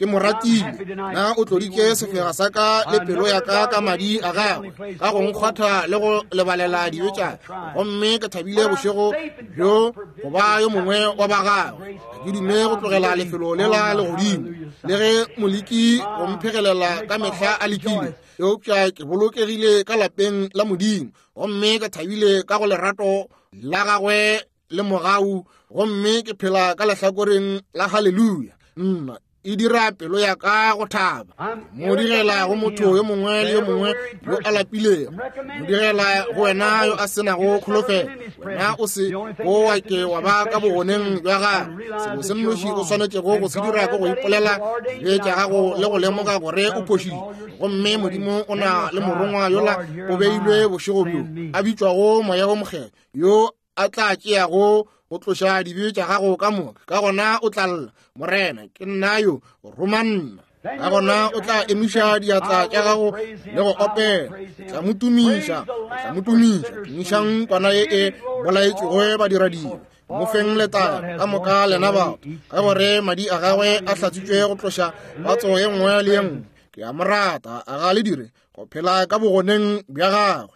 ke mo ratile. Na o tloditše sefega sa ka le pelo ya ka ka madi a gagwe, ka go nkgwatha le go lebalela dibe tša ka. Gomme ke thabile bošego bjo go ba yo mongwe wa ba gagwe. Ke dume go tlogela lefelo lela le godimo, le ge moleki go mphegelela ka mehla a lekile, eupša ke bolokegile ka lapeng la Modimo, gomme ke thabile ka go lerato la gagwe le mogau, gomme ke phela ka lehlakoreng la haleluya. Nna E dira pelo ya ka go thaba. Mo direla go motho yo mongwe le yo mongwe yo a lapilego. Mo direla go wena yo a senago kholofelo. Wena o se o wa ke wa ba ka bogoneng bja gagwe. Selo se nnoši o swanetšego go se dira ke go ipolela dibe tša gago le go lemoga gore o phošitše. Gomme Modimo o na le morongwa yola o beilwe bošego bjo a bitšwago Moya wo Mokgethwa yo a tla tšeago go tloša dibe tša gago ka moka. Ka gona o tla lla, Morena, ke nna yo, roma nna. Ka gona o tla emiša diatla tša gago le go opela. Ke tla mo tumiša, ke tla mo tumiša. Tumišang kwana ye e bolaetšwego badiradibe. Mo feng letago ka moka lena batho, ka gore madi a gagwe a hlatswitšwe go tloša patso ye nngwe le ye nngwe. Ke a mo rata, a ga le dire go phela ka bogoneng bja gagwe.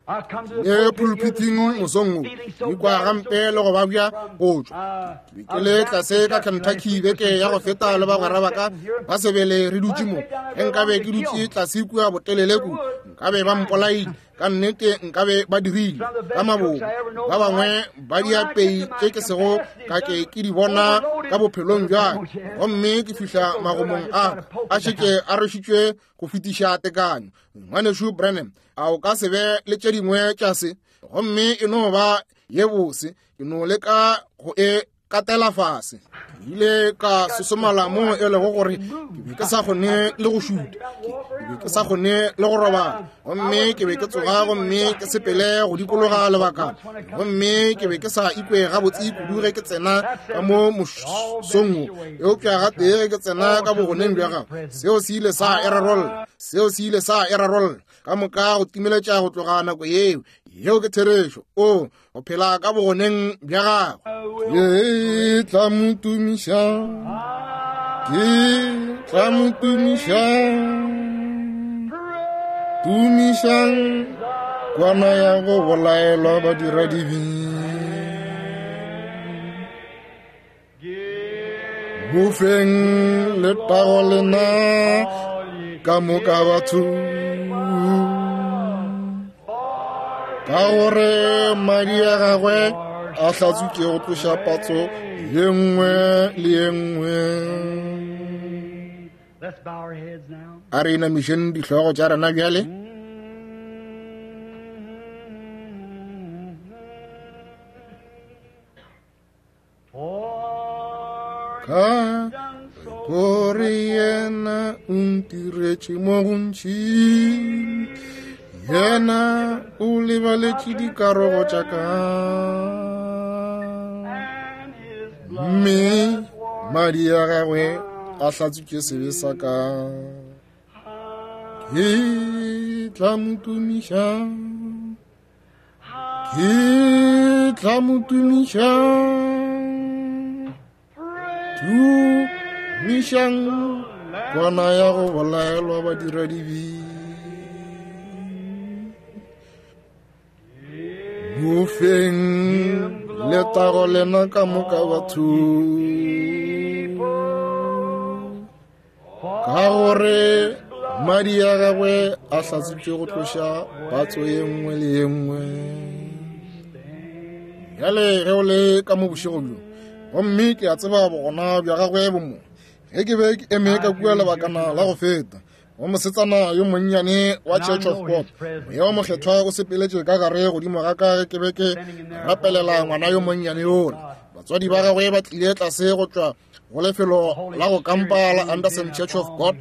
Le pulpiting mosong wo, ke ikwa gampe le go babja go tšwa. Ke be ke le tlase ka Kentucky beke ya go feta le bagwera ba ka ba sebele re dutše mo. Ge nkabe ke dutše tlase kua botelele kudu, nkabe ba mpolaile. Ka nnete nkabe ba dirile ka mabomo. Ba bangwe ba diapei tše ke sego ka ke ke di bona ka bophelong bja ka. Gomme ke fihla magomong a a šetše a rwešitšwe go fetiša tekanyo. Ngwanešu Branham, a o ka se be le tše dingwe tša se? Gomme e no ba ye bose, ke no leka go e katela fase. Ke ile ka sosomala mo e lego gore ke be ke sa kgone le go šuta, ke be ke sa kgone le go robala. Gomme ke be ke tsoga gomme ke sepele go dikologa lebakana. Gomme ke be ke sa ikwe gabotse kudu ge ke tsena ka mo mosong wo. Eupša gatee ge ke tsena ka bogoneng bja gagwe, seo se ile sa e rarolla. Seo se ile sa e rarolla ka moka go timeletša go tloga nako yeo. Yeo ke therešo. O go phela ka bogoneng bja gagwe. Ke tla mo tumiša, ke tla mo tumiša. Tumišang kwana ya go bolaelwa badiradibe. Mo feng letago lena ka moka batho, ka gore madi a gagwe a hlatswitše go tloša patso ye nngwe le ye nngwe. Let's bow our heads now. A re inamišeng dihlogo tša rena bjale. For Ka done so gore yena o ntiretše mo gontši, yena o lebaletše dikarogo tša ka, and his blood mme madi a gagwe a hlatswitše sebe sa ka. Ke tla mo tumiša, ke tla mo tumiša. Tumišang kwana ya go bolaelwa badiradibe. Mo feng letago lena ka moka batho, ka gore madi a gagwe a hlatswitše go tloša patso ye nngwe le ye nngwe. Bjale ge o le ka mo bošego bjo, gomme ke a tseba bogona bja gagwe bo mo. Ge ke be ke eme ka kua lebakana la go feta, go mosetsana yo monnyane wa Church of God, Moya wo Mokgethwa o sepeletše ka gare godimo ga ka ge ke be ke rapelela ngwana yo monnyane yola. Batswadi ba gagwe ba tlile tlase go tšwa go lefelo la go kampa la Anderson Church of God,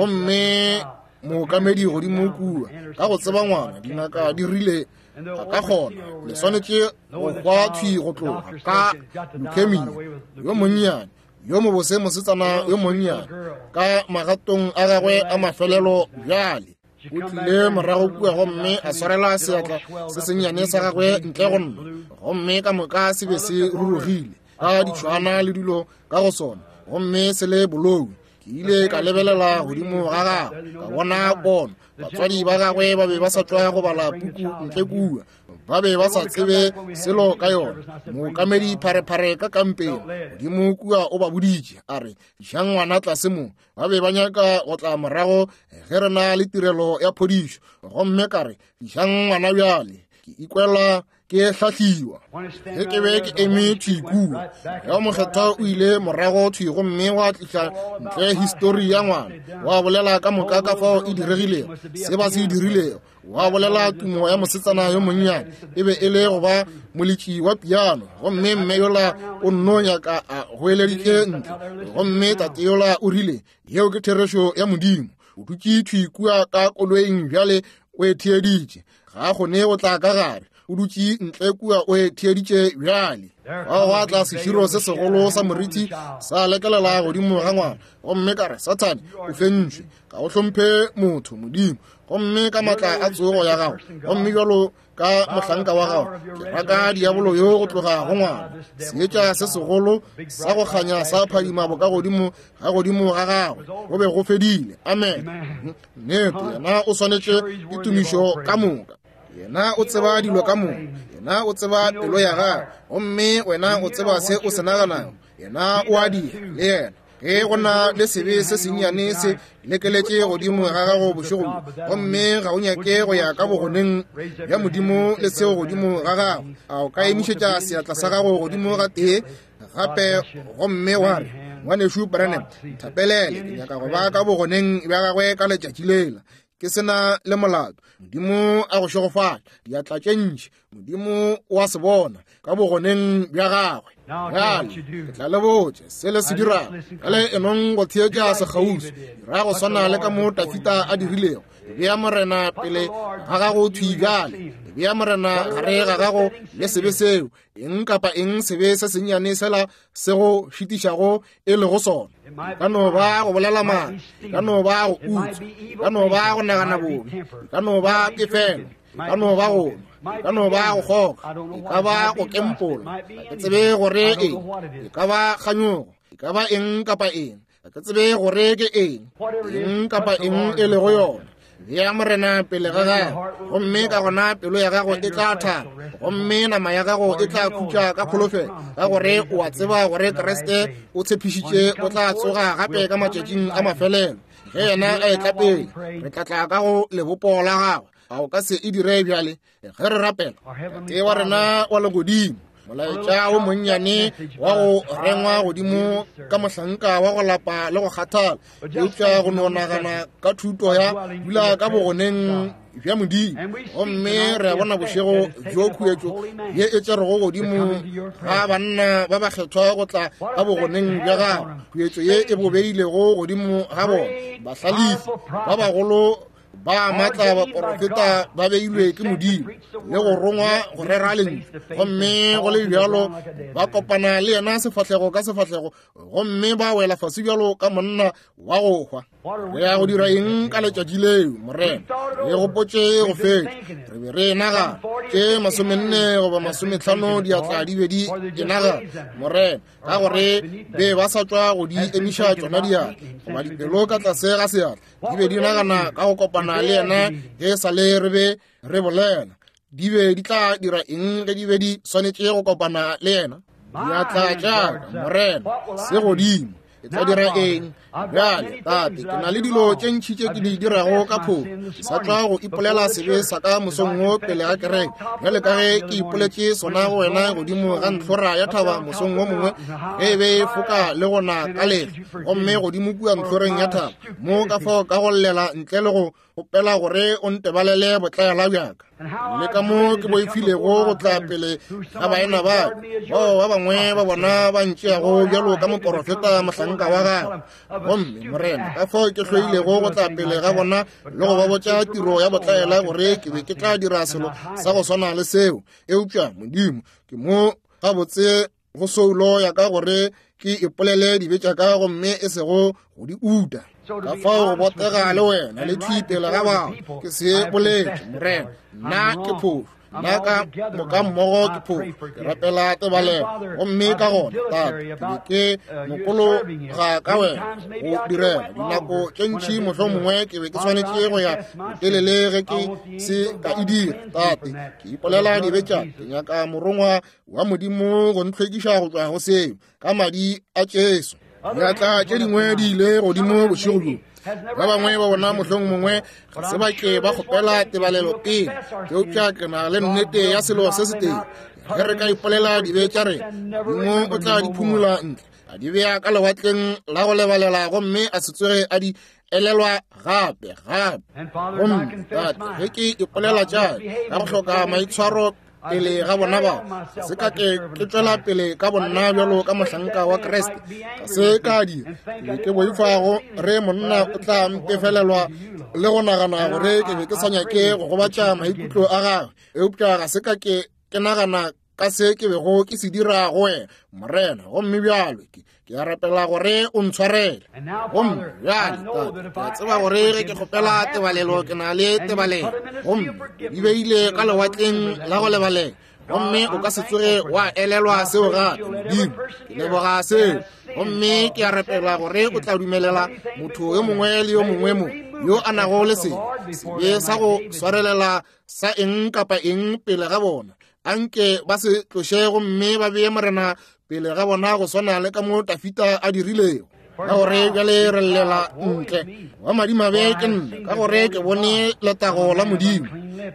gomme mookamedi godimo kua ka go tseba ngwana, dingaka di rile a ka kgona, le swanetše go hwa thwi go tloga ka leukemia. Yo monnyane yo mobose mosetsana yo monnyane ka magatong a gagwe a mafelelo bjale o tlile morago kua gomme a swarela seatla se sennyane sa gagwe ntle go nna, gomme ka moka se be se rurugile ka ditšhwana le dilo ka go sona, gomme se le bolou. Ke ile ka lebelela godimo ga gagwe, ka bona pono. Batswadi ba gagwe ba be ba sa tšwa go bala puku ntle kua, ba be ba sa tsebe selo ka yona. Mookamedi pharephare ka kampeng godimo kua o ba boditše a re, "Jang ngwana tlase mo." Ba be ba nyaka go tla morago ge re na le tirelo ya phodišo, gomme ka re, "Jang ngwana bjale." Ke ikwela ke Ke hlahliwa. Ge ke be ke eme thwi kua, Moya wo Mokgethwa o ile morago thwi gomme wa tliša ntle histori ya ngwana, wa bolela ka moka ka fao e diregilego, se ba se dirilego, wa bolela tumo ya mosetsana yo monnyane e be e le go ba moletši wa piano, gomme mme yola o nno nyaka a goeleditše ntle, gomme tate yola o rile, yeo ke therešo ya Modimo. O dutše thwi kua ka koloing bjale o e theeditše, ga a kgone go tla ka gare, o dutše ntle kua o e theeditše bjale. Fao gwa tla seširo se segolo sa moriti sa lekelela godimo ga ngwana, gomme ka re, Sathane, o fentšwe, ga o hlomphe motho Modimo, gomme ka maatla a tsogo ya gago, gomme bjalo ka mohlanka wa gago, ke raka diabolo yo go tloga go ngwana. Seetša se segolo sa go kganya sa phadima bokagodimo ga godimo ga gagwe, go be go fedile. Amen. Nnete, yena o swanetše ditumišo ka moka. Yena o tseba dilo ka moka. Yena o tseba pelo ya gago, gomme wena o tseba se o se naganago. Yena o a dira le yena. Ge go na le sebe se sennyane se lekeletše godimo ga gago bošego bjo, gomme ga o nyake go ya ka bogoneng bja Modimo le seo godimo ga gago, a o ka emišetša seatla sa gago godimo ga tee gape gomme wa re, Ngwanešu Branham, nthapelele, ke nyaka go ba ka bogoneng bja gagwe ka letšatši lela, ke sena le molato. Modimo a go šegofatše. Diatla tše ntši Modimo o a se bona ka bogoneng bja gagwe. Bjale ke tla le botša se le se dirago. Bjale enong go theetša sekgauswi, dira go swana le ka mo Dafida a dirilego. Bea Morena pele ga gago thwi bjale, bea Morena gare ga gago le sebe seo, eng kapa eng sebe se sennyane sela se go šitišago e lego sona. E ka no ba go bolela maaka, e ka no ba go utswa, e ka no ba go nagana bobe, e ka no ba pefelo, e ka no ba go nwa, e ka no ba go kgoga, e ka ba go kempola, ga ke tsebe gore eng, e ka ba kganyogo, e ka ba eng kapa eng, ga ke tsebe gore ke eng, eng kapa eng e lego yona. Bea Morena pele ga gago, gomme ka gona pelo ya gago e tla thaba, gomme nama ya gago e tla khutša ka kholofelo, ka gore o a tseba gore Kriste o tshepišitše o tla tsoga gape ka matšatšing a mafelelo. Ge yena a etla pele, re tla tla ka go lebopo la gagwe. A o ka se e dire bjale ge re rapela? Tate wa rena wa legodimo, molaetša wo monnyane wa go rengwa godimo ka mohlanka wa go lapa le go kgathala, eupša go no nagana ka thuto ya dula ka bogoneng bja Modimo, gomme re a bona bošego bjo khuetšo ye e tšerego godimo ga banna ba bakgethwa go tla ka bogoneng bja gago, khuetšo ye e bo beilego godimo ga bona, bahlalefi ba bagolo ba maatla baporofeta ba beilwe ke Modimo le go rongwa go rera lentšu, gomme go le bjalo ba kopana le yena sefahlego ka sefahlego, gomme ba wela fase bjalo ka monna wa go hwa. Re ya go dira eng ka letšatši leo, Morena? Re gopotše go fetša, re be re nagana tše masomenne goba masometlhano diatla di be di e nagana, Morena, ka gore be ba sa tšwa go di emiša tšona diatla, goba dipelo ka tlase ga seatla di be di nagana ka go kopana le yena ge sa le re be re bolela. Di be di tla dira eng ge di be di swanetše go kopana le yena? Diatla tša ka, Morena, se godimo. E tla dira eng bjale? Tate, ke na le dilo tše ntši tše ke di dirago ka phofu. Ke sa tšwa go ipolela sebe sa ka mosong wo pele ga kereke, bjale ka ge ke ipoletše sona go wena godimo ga ntlhora ya thaba mosong wo mongwe, ge e be e foka le go na ka lehlwa, gomme godimo kua ntlhoreng ya thaba mo ka fao ka go llela ntle le go kgopela gore o ntebalele botlaela bjaka, le ka mo ke boifilego go tla pele ga baena ba bao ba bangwe ba bona ba ntšeago bjalo ka moporofeta mohlanka wa gagwe. Gomme Morena, ka fao ke hloilego go tla pele ga bona le go ba botša tiro ya botlaela gore ke be ke tla dira selo sa go swana le seo. Eupša Modimo, ke mo gabotse go soulo ya ka gore ke ipolele dibe tša ka, gomme e sego go di uta. Ka fao go botega le wena le thwi pele ga bao ke se boletše, Morena, nna ke phofu, nna ka moka mmogo ke phofu, ke rapela tebalelo. Gomme ka gona, Tate, ke be ke mokologa ka wena go direla dinako tše ntši, mohlomongwe ke be ke swanetše go ya botelele ge ke se ka e dira. Tate, ke ipolela dibe tša ka, ke nyaka morongwa wa Modimo go ntlhwekiša go tšwa go seo ka madi a Jesu. Diatla tše dingwe di ile godimo bošego bjo. Ba bangwe ba bona mohlong mongwe ga se ba ke ba kgopela tebalelo pele, eupša ke na le nnete ya selo se se tee. Ge re ka ipolela dibe tša rena, Modimo o tla di phumula ntle, a di bea ka lewatleng la go lebalela, gomme a se tsoge a di elelwa gape gape. Gomme Tate, ge ke ipolela tša ka go hloka maitshwaro pele ga bona bao, se ka ke ke tšwela pele ka bonna bjalo ka mohlanka wa Kriste, ga se ka dira. Ke ke boifa gore monna o tla mpefelelwa le go nagana gore ke be ke sa nyake go gobatša maikutlo a gagwe, eupša ga se ka ke ke nagana ka se ke bego ke se dira go wena, Morena. Gomme bjalo ke ke a rapela gore o ntshwarele. Gomme bjale Tate, ke a tseba gore ge ke kgopela tebalelo ke na le tebalelo, gomme di beile ka lewatleng la go lebalela, gomme o ka se tsoge wa elelwa seo gape. Modimo, ke leboga seo. Gomme ke a rapela gore o tla dumelela motho yo mongwe le yo mongwe mo yo a nago le sebe, sebe sa go swarelela sa eng kapa eng pele ga bona, anke ba se tloše gomme ba bee Morena pele ga bona go swana le ka mo Dafita a dirilego. Ka gore bjale re llela ntle wa madimabe ke nna, ka gore ke bone letago la Modimo.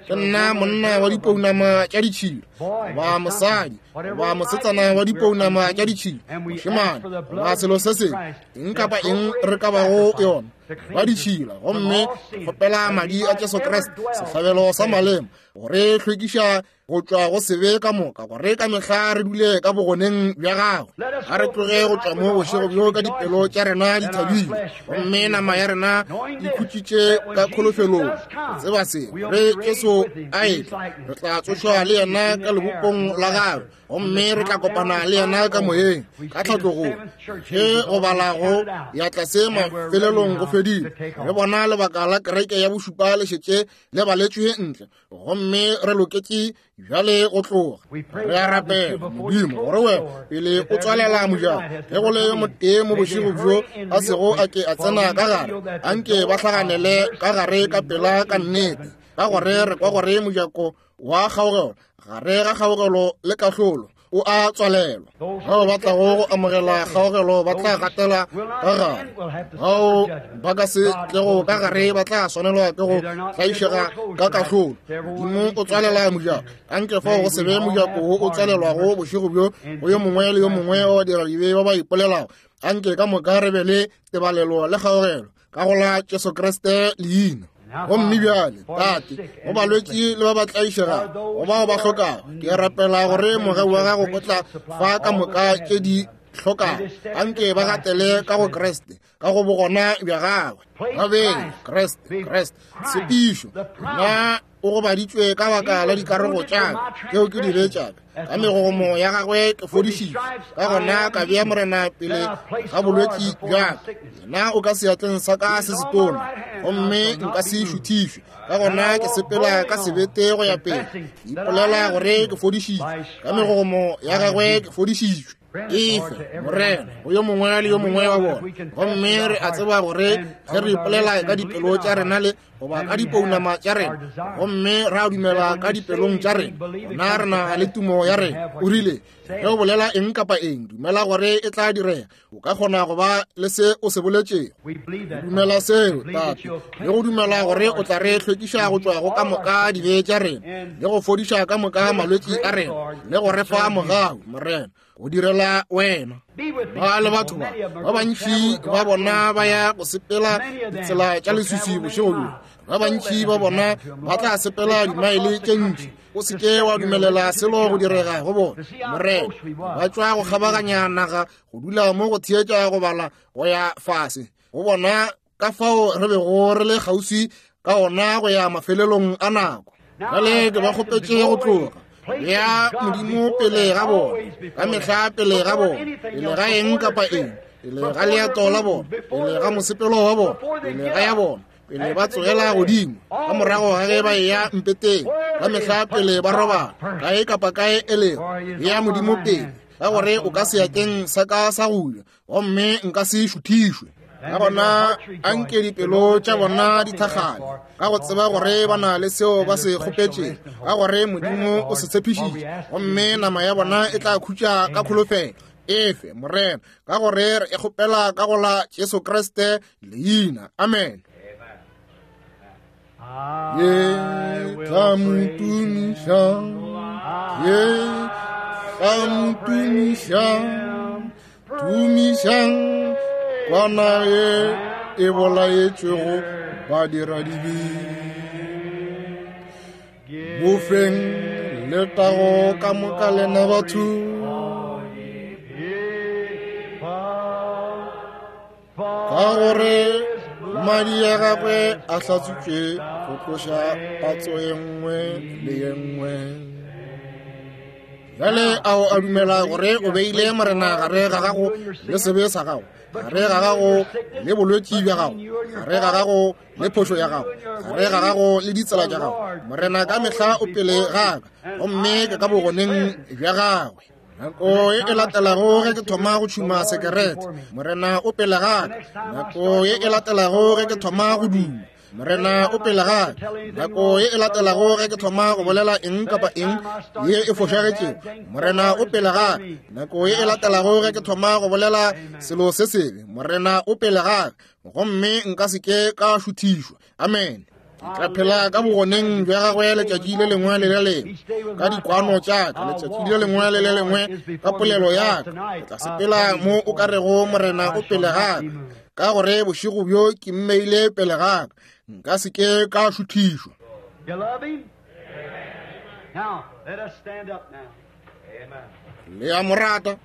Ke nna monna wa dipounama tša ditšhila, goba mosadi, goba mosetsana wa dipounama tša ditšhila, mošemane, goba selo se sengwe, eng kapa eng re ka bago yona, ba ditšhila. Gomme kgopela madi a Jesu Kriste, sehlabelo sa malema, gore hlwekiša go tšwa go sebe ka moka, gore ka mehla re dule ka bogoneng bja gagwe. A re tloge go tšwa mo bošego bjo ka dipelo tša rena di thabile, gomme nama ya rena e khutšitše ka kholofelong. Tseba se, re Jesu a etla, re tla tsošwa le yena ka lebopong la gagwe, gomme re tla kopana le yena ka moyeng ka tlhatlogong. Ge go bala go ya tlase mafelelong go fedile, re bona lebaka la kereke ya bošupa le šetše le baletšwe ntle, gomme re loketše bjale go tloga. Re a rapela, Modimo, gore wena pele o tswalela mojako, ge go le motee mo bošego bjo a sego a ke a tsena ka gare, anke ba hlaganele ka gare ka pela ka nnete, ka gore re kwa gore mojako wa kgaogelo gare ga kgaogelo le kahlolo o a tswalelwa. Bao ba tlago go amogela kgaogelo ba tla gatela ka gare, bao ba ka se tlego ka gare ba tla swanelwa ke go tlaišega ka kahlolo. Modimo o tswalela mojako, anke fao go se be mojako wo o tswalelwago bošego bjo go yo mongwe le yo mongwe wa badiradibe ba ba ipolelago. Anke ka moka re be le tebalelo le kgaogelo ka go la Jesu Kriste leina. Gomme bjale Tate, go balwetši le ba ba tlaišegago, go bao ba hlokago, ke rapela gore mogau wa gago o tla fa ka moka tše di hlokago. Anke ba gatele ka go Kriste, ka go bogona bja gagwe. Ba bee Kriste, Kriste tshepišo, na o gobaditšwe ka baka la dikarogo tša ka tšeo ke di be tša ka, ka megomo ya gagwe ke fodišitšwe. Ka gona ka bea Morena pele ga bolwetši bja ka, yena o ka seatleng sa ka se setona, gomme nka se šuthišwe. Ka gona ke sepela ka sebete go ya pele, ke ipolela gore ke fodišitšwe, ka megomo ya gagwe ke fodišitšwe. Efe, Morena, go yo mongwe le yo mongwe wa bona. Gomme re a tseba gore ge re ipolela ka dipelo tša rena le goba ka dipounama tša rena, gomme ra dumela ka dipelong tša rena, gona re na le tumo ya rena. O rile, ge o bolela eng kapa eng, dumela gore e tla direga. O ka kgona go ba le se o se boletšego. Dumela seo, Tate, le go dumela gore o tla re hlwekiša go tšwa go ka moka dibe tša rena, le go fodiša ka moka malwetši a rena, le go re fa mogau, Morena, go direla wena. Ba le batho ba ba bantši ba bona ba ya go sepela ditsela tša leswiswi bošego bjo. Ba bantši ba bona ba tla sepela dimaele tše ntši. O se ke wa dumelela selo go direga go bona, Morena. Ba tšwa go kgabaganya naga go dula mo go theetša go bala go ya fase, go bona ka fao re bego re le kgauswi ka ona go ya mafelelong a nako. Bjale ke ba kgopetše go tloga, bea Modimo pele ga bona, ka mehla pele ga bona, pele ga eng kapa eng, pele ga leeto la bona, pele ga mosepelo wa bona, pele ga ya bona, pele ba tsogela godimo, ka morago ga ge ba eya mpeteng, ka mehla pele ba robala, kae kapa kae e lego, bea Modimo pele, ka gore o ka seatleng sa ka sa go ja, gomme nka se šuthišwe. Ka gona anke dipelo tša bona di thakgale, ka go tseba gore ba na le seo ba se kgopetšego, ka gore Modimo o se tshepišitše, gomme nama ya bona e tla khutša ka kholofelo. Efe, Morena, ka gore re e kgopela ka go la Jesu Kriste leina. Amen. Ye tla mo tumiša, ye tla mo tumiša, tumišang kwana ye e bolaetšwego badiradibe. Mo feng letago ka moka lena batho. Ka gore madi a gagwe a hlatswitšwe go tloša patso ye nngwe le ye nngwe. Bjale ao a dumela gore o beile Morena gare ga gago le sebe sa gago, gare ga gago le bolwetši bja gago, gare ga gago le phošo ya gago, gare ga gago le ditsela tša gago. Morena ka mehla o pele ga ka, gomme ke ka bogoneng bja gagwe. Nako ye e latelago ge ke thoma go tšhuma sekerete, Morena o pele ga ka. Nako ye e latelago ge ke thoma go duma, Morena o pele ga ka. Nako ye e latelago ge ke thoma go bolela eng kapa eng ye e fošagetšego, Morena o pele ga ka. Nako ye e latelago ge ke thoma go bolela selo se sebe, Morena o pele ga ka, gomme nka se ke ka šuthišwa. Amen. Ke tla phela ka bogoneng bja gagwe letšatši le lengwe le le lengwe, ka dikwano tša ka letšatši le lengwe le le lengwe, ka polelo ya ka. Ke tla sepela mo o ka rego Morena o pele ga ka, ka gore bošego bjo ke mmeile pele ga ka, nka se ke ka šuthišwa. Le a mo rata?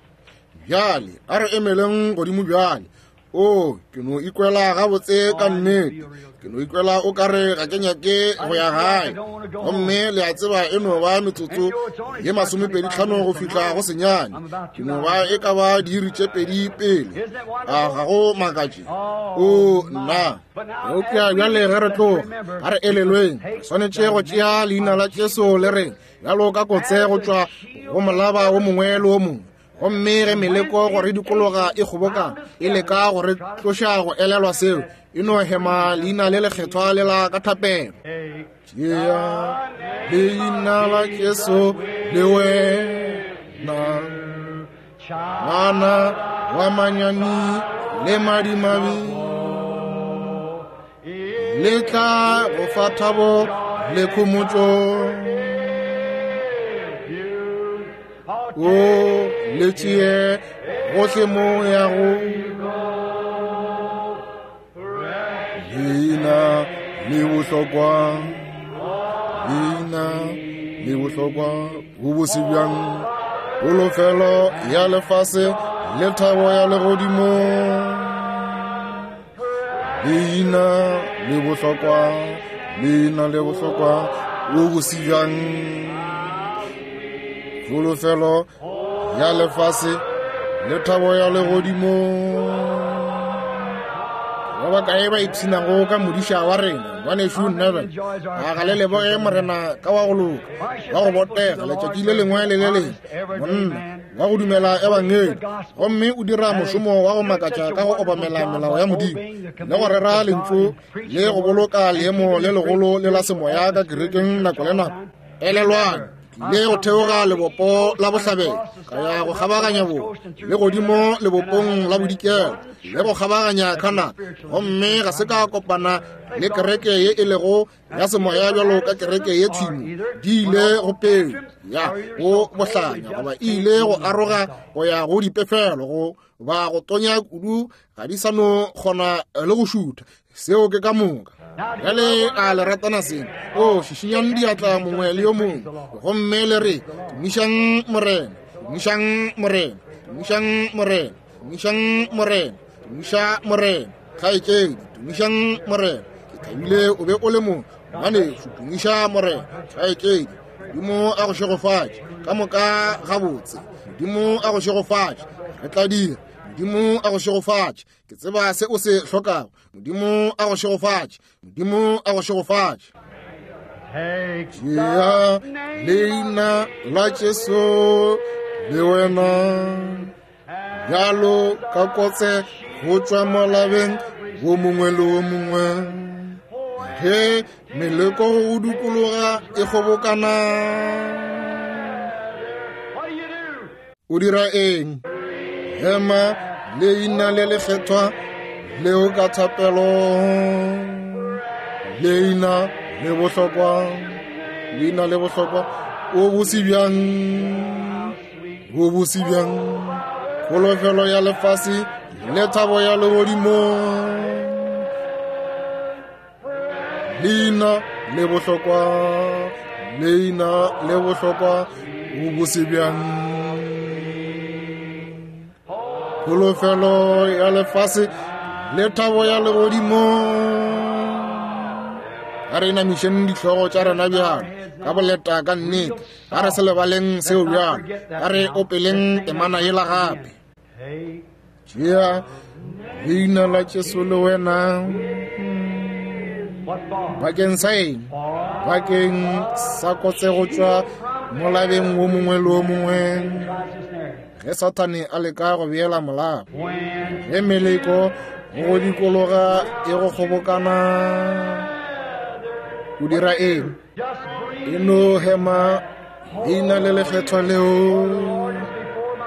Bjale a re emeleng godimo bjale. O, ke no ikwela gabotse ka nnete. Ke no ikwela o ka re ga ke nyake go ya gae. Gomme le a tseba e no ba metsotso ye masomepedi tlhano go fihla go senyane. Ke no ba e ka ba diiri tše pedi pele. A ga go makatše? O, nna. Eupša bjale ge re tloga, ga re elelweng, re swanetše go tšea leina la Jesu le reng bjalo ka kotse go tšwa go molaba wo mongwe le wo mongwe. Gomme ge meleko go re dikologa e kgobokana, e leka go re tloša go elelwa seo, e no hema leina le lekgethwa le la ka thapelo. Tšea leina la Jesu le wena, ngwana wa manyami le madimabe, le tla go fa thabo le khomotšo. O le tšee gohle mo yago, leina le bohlokwa, leina le bohlokwa, bo bose bjang, polofelo ya lefase le thabo ya legodimo. Leina le bohlokwa, leina le bohlokwa, bo bose bjang, polofelo ya lefase le thabo ya legodimo. Ba bakae ba ipshinago ka modiša wa rena, ngwanešu Neville? A ga le leboge Morena ka wa go loka, wa go botega letšatši le lengwe le le lengwe, monna wa go dumela ebangedi, gomme o dira mošomo wa go makatša ka go obamela melao ya Modimo le go rera lentšu le go boloka leemo le legolo le la semoya ka kerekeng nako le nako. Elelwang, le go theoga lebopo la bohlabela, ka ya go kgabaganya bo le godimo lebopong la bodikela, le go kgabaganya Canada, gomme ga se ka kopana le kereke ye e lego ya semoya bjalo ka kereke ye tshimo. Di ile go peu ya go bohlanya, goba e ile go aroga go ya go dipefelo, go ba go tonya kudu, ga di sa no kgona le go šutha. Seo ke ka moka. Bjale a le ratana seng? O, šišinyang diatla mongwe le yo mongwe, gomme le re, tumišang Morena, tumišang Morena, tumišang Morena, tumišang Morena, tumiša Morena. Kgaetšedi, tumišang Morena. Ke thabile o be o le mo, ngwanešu, tumiša Morena. Kgaetšedi, Modimo a go šegofatše ka moka gabotse. Modimo a go šegofatše. Re tla dira. Modimo a go šegofatše. Ke tseba se o se hlokago. Modimo a go šegofatše. Modimo a go šegofatše. Tšea leina la Jesu le wena, bjalo ka kotse go tšwa molabeng wo mongwe le wo mongwe. Ge meleko go dikologa e kgobokana, o dira eng? Hema leina le lekgethwa leo ka thapelo. Leina le bohlokwa, leina le bohlokwa, o bose bjang, o bose bjang, kholofelo ya lefase le thabo ya legodimo. Leina le bohlokwa, leina le bohlokwa, o bose bjang, kholofelo ya lefase le thabo ya legodimo. A re inamišeng dihlogo tša rena bjalo ka boleta ka nnete, a re se lebaleng seo bjalo, a re opeleng temana yela gape. Tšea leina la Jesu le wena. Bakeng sa eng? Bakeng sa kotse go tšwa molabeng wo mongwe le wo mongwe. Ge Sathane a leka go beela molaba, ge meleko go dikologa e go kgobokana, o dira eng? E no hema leina le lekgethwa leo,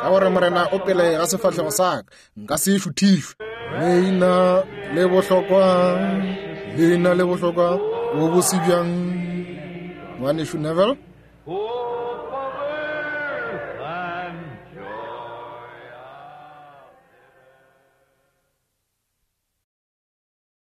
ka gore Morena o pele ga sefahlego sa ka, nka se šuthišwe. Leina le bohlokwa, leina le bohlokwa, o bose bjang. Ngwanešu Neville.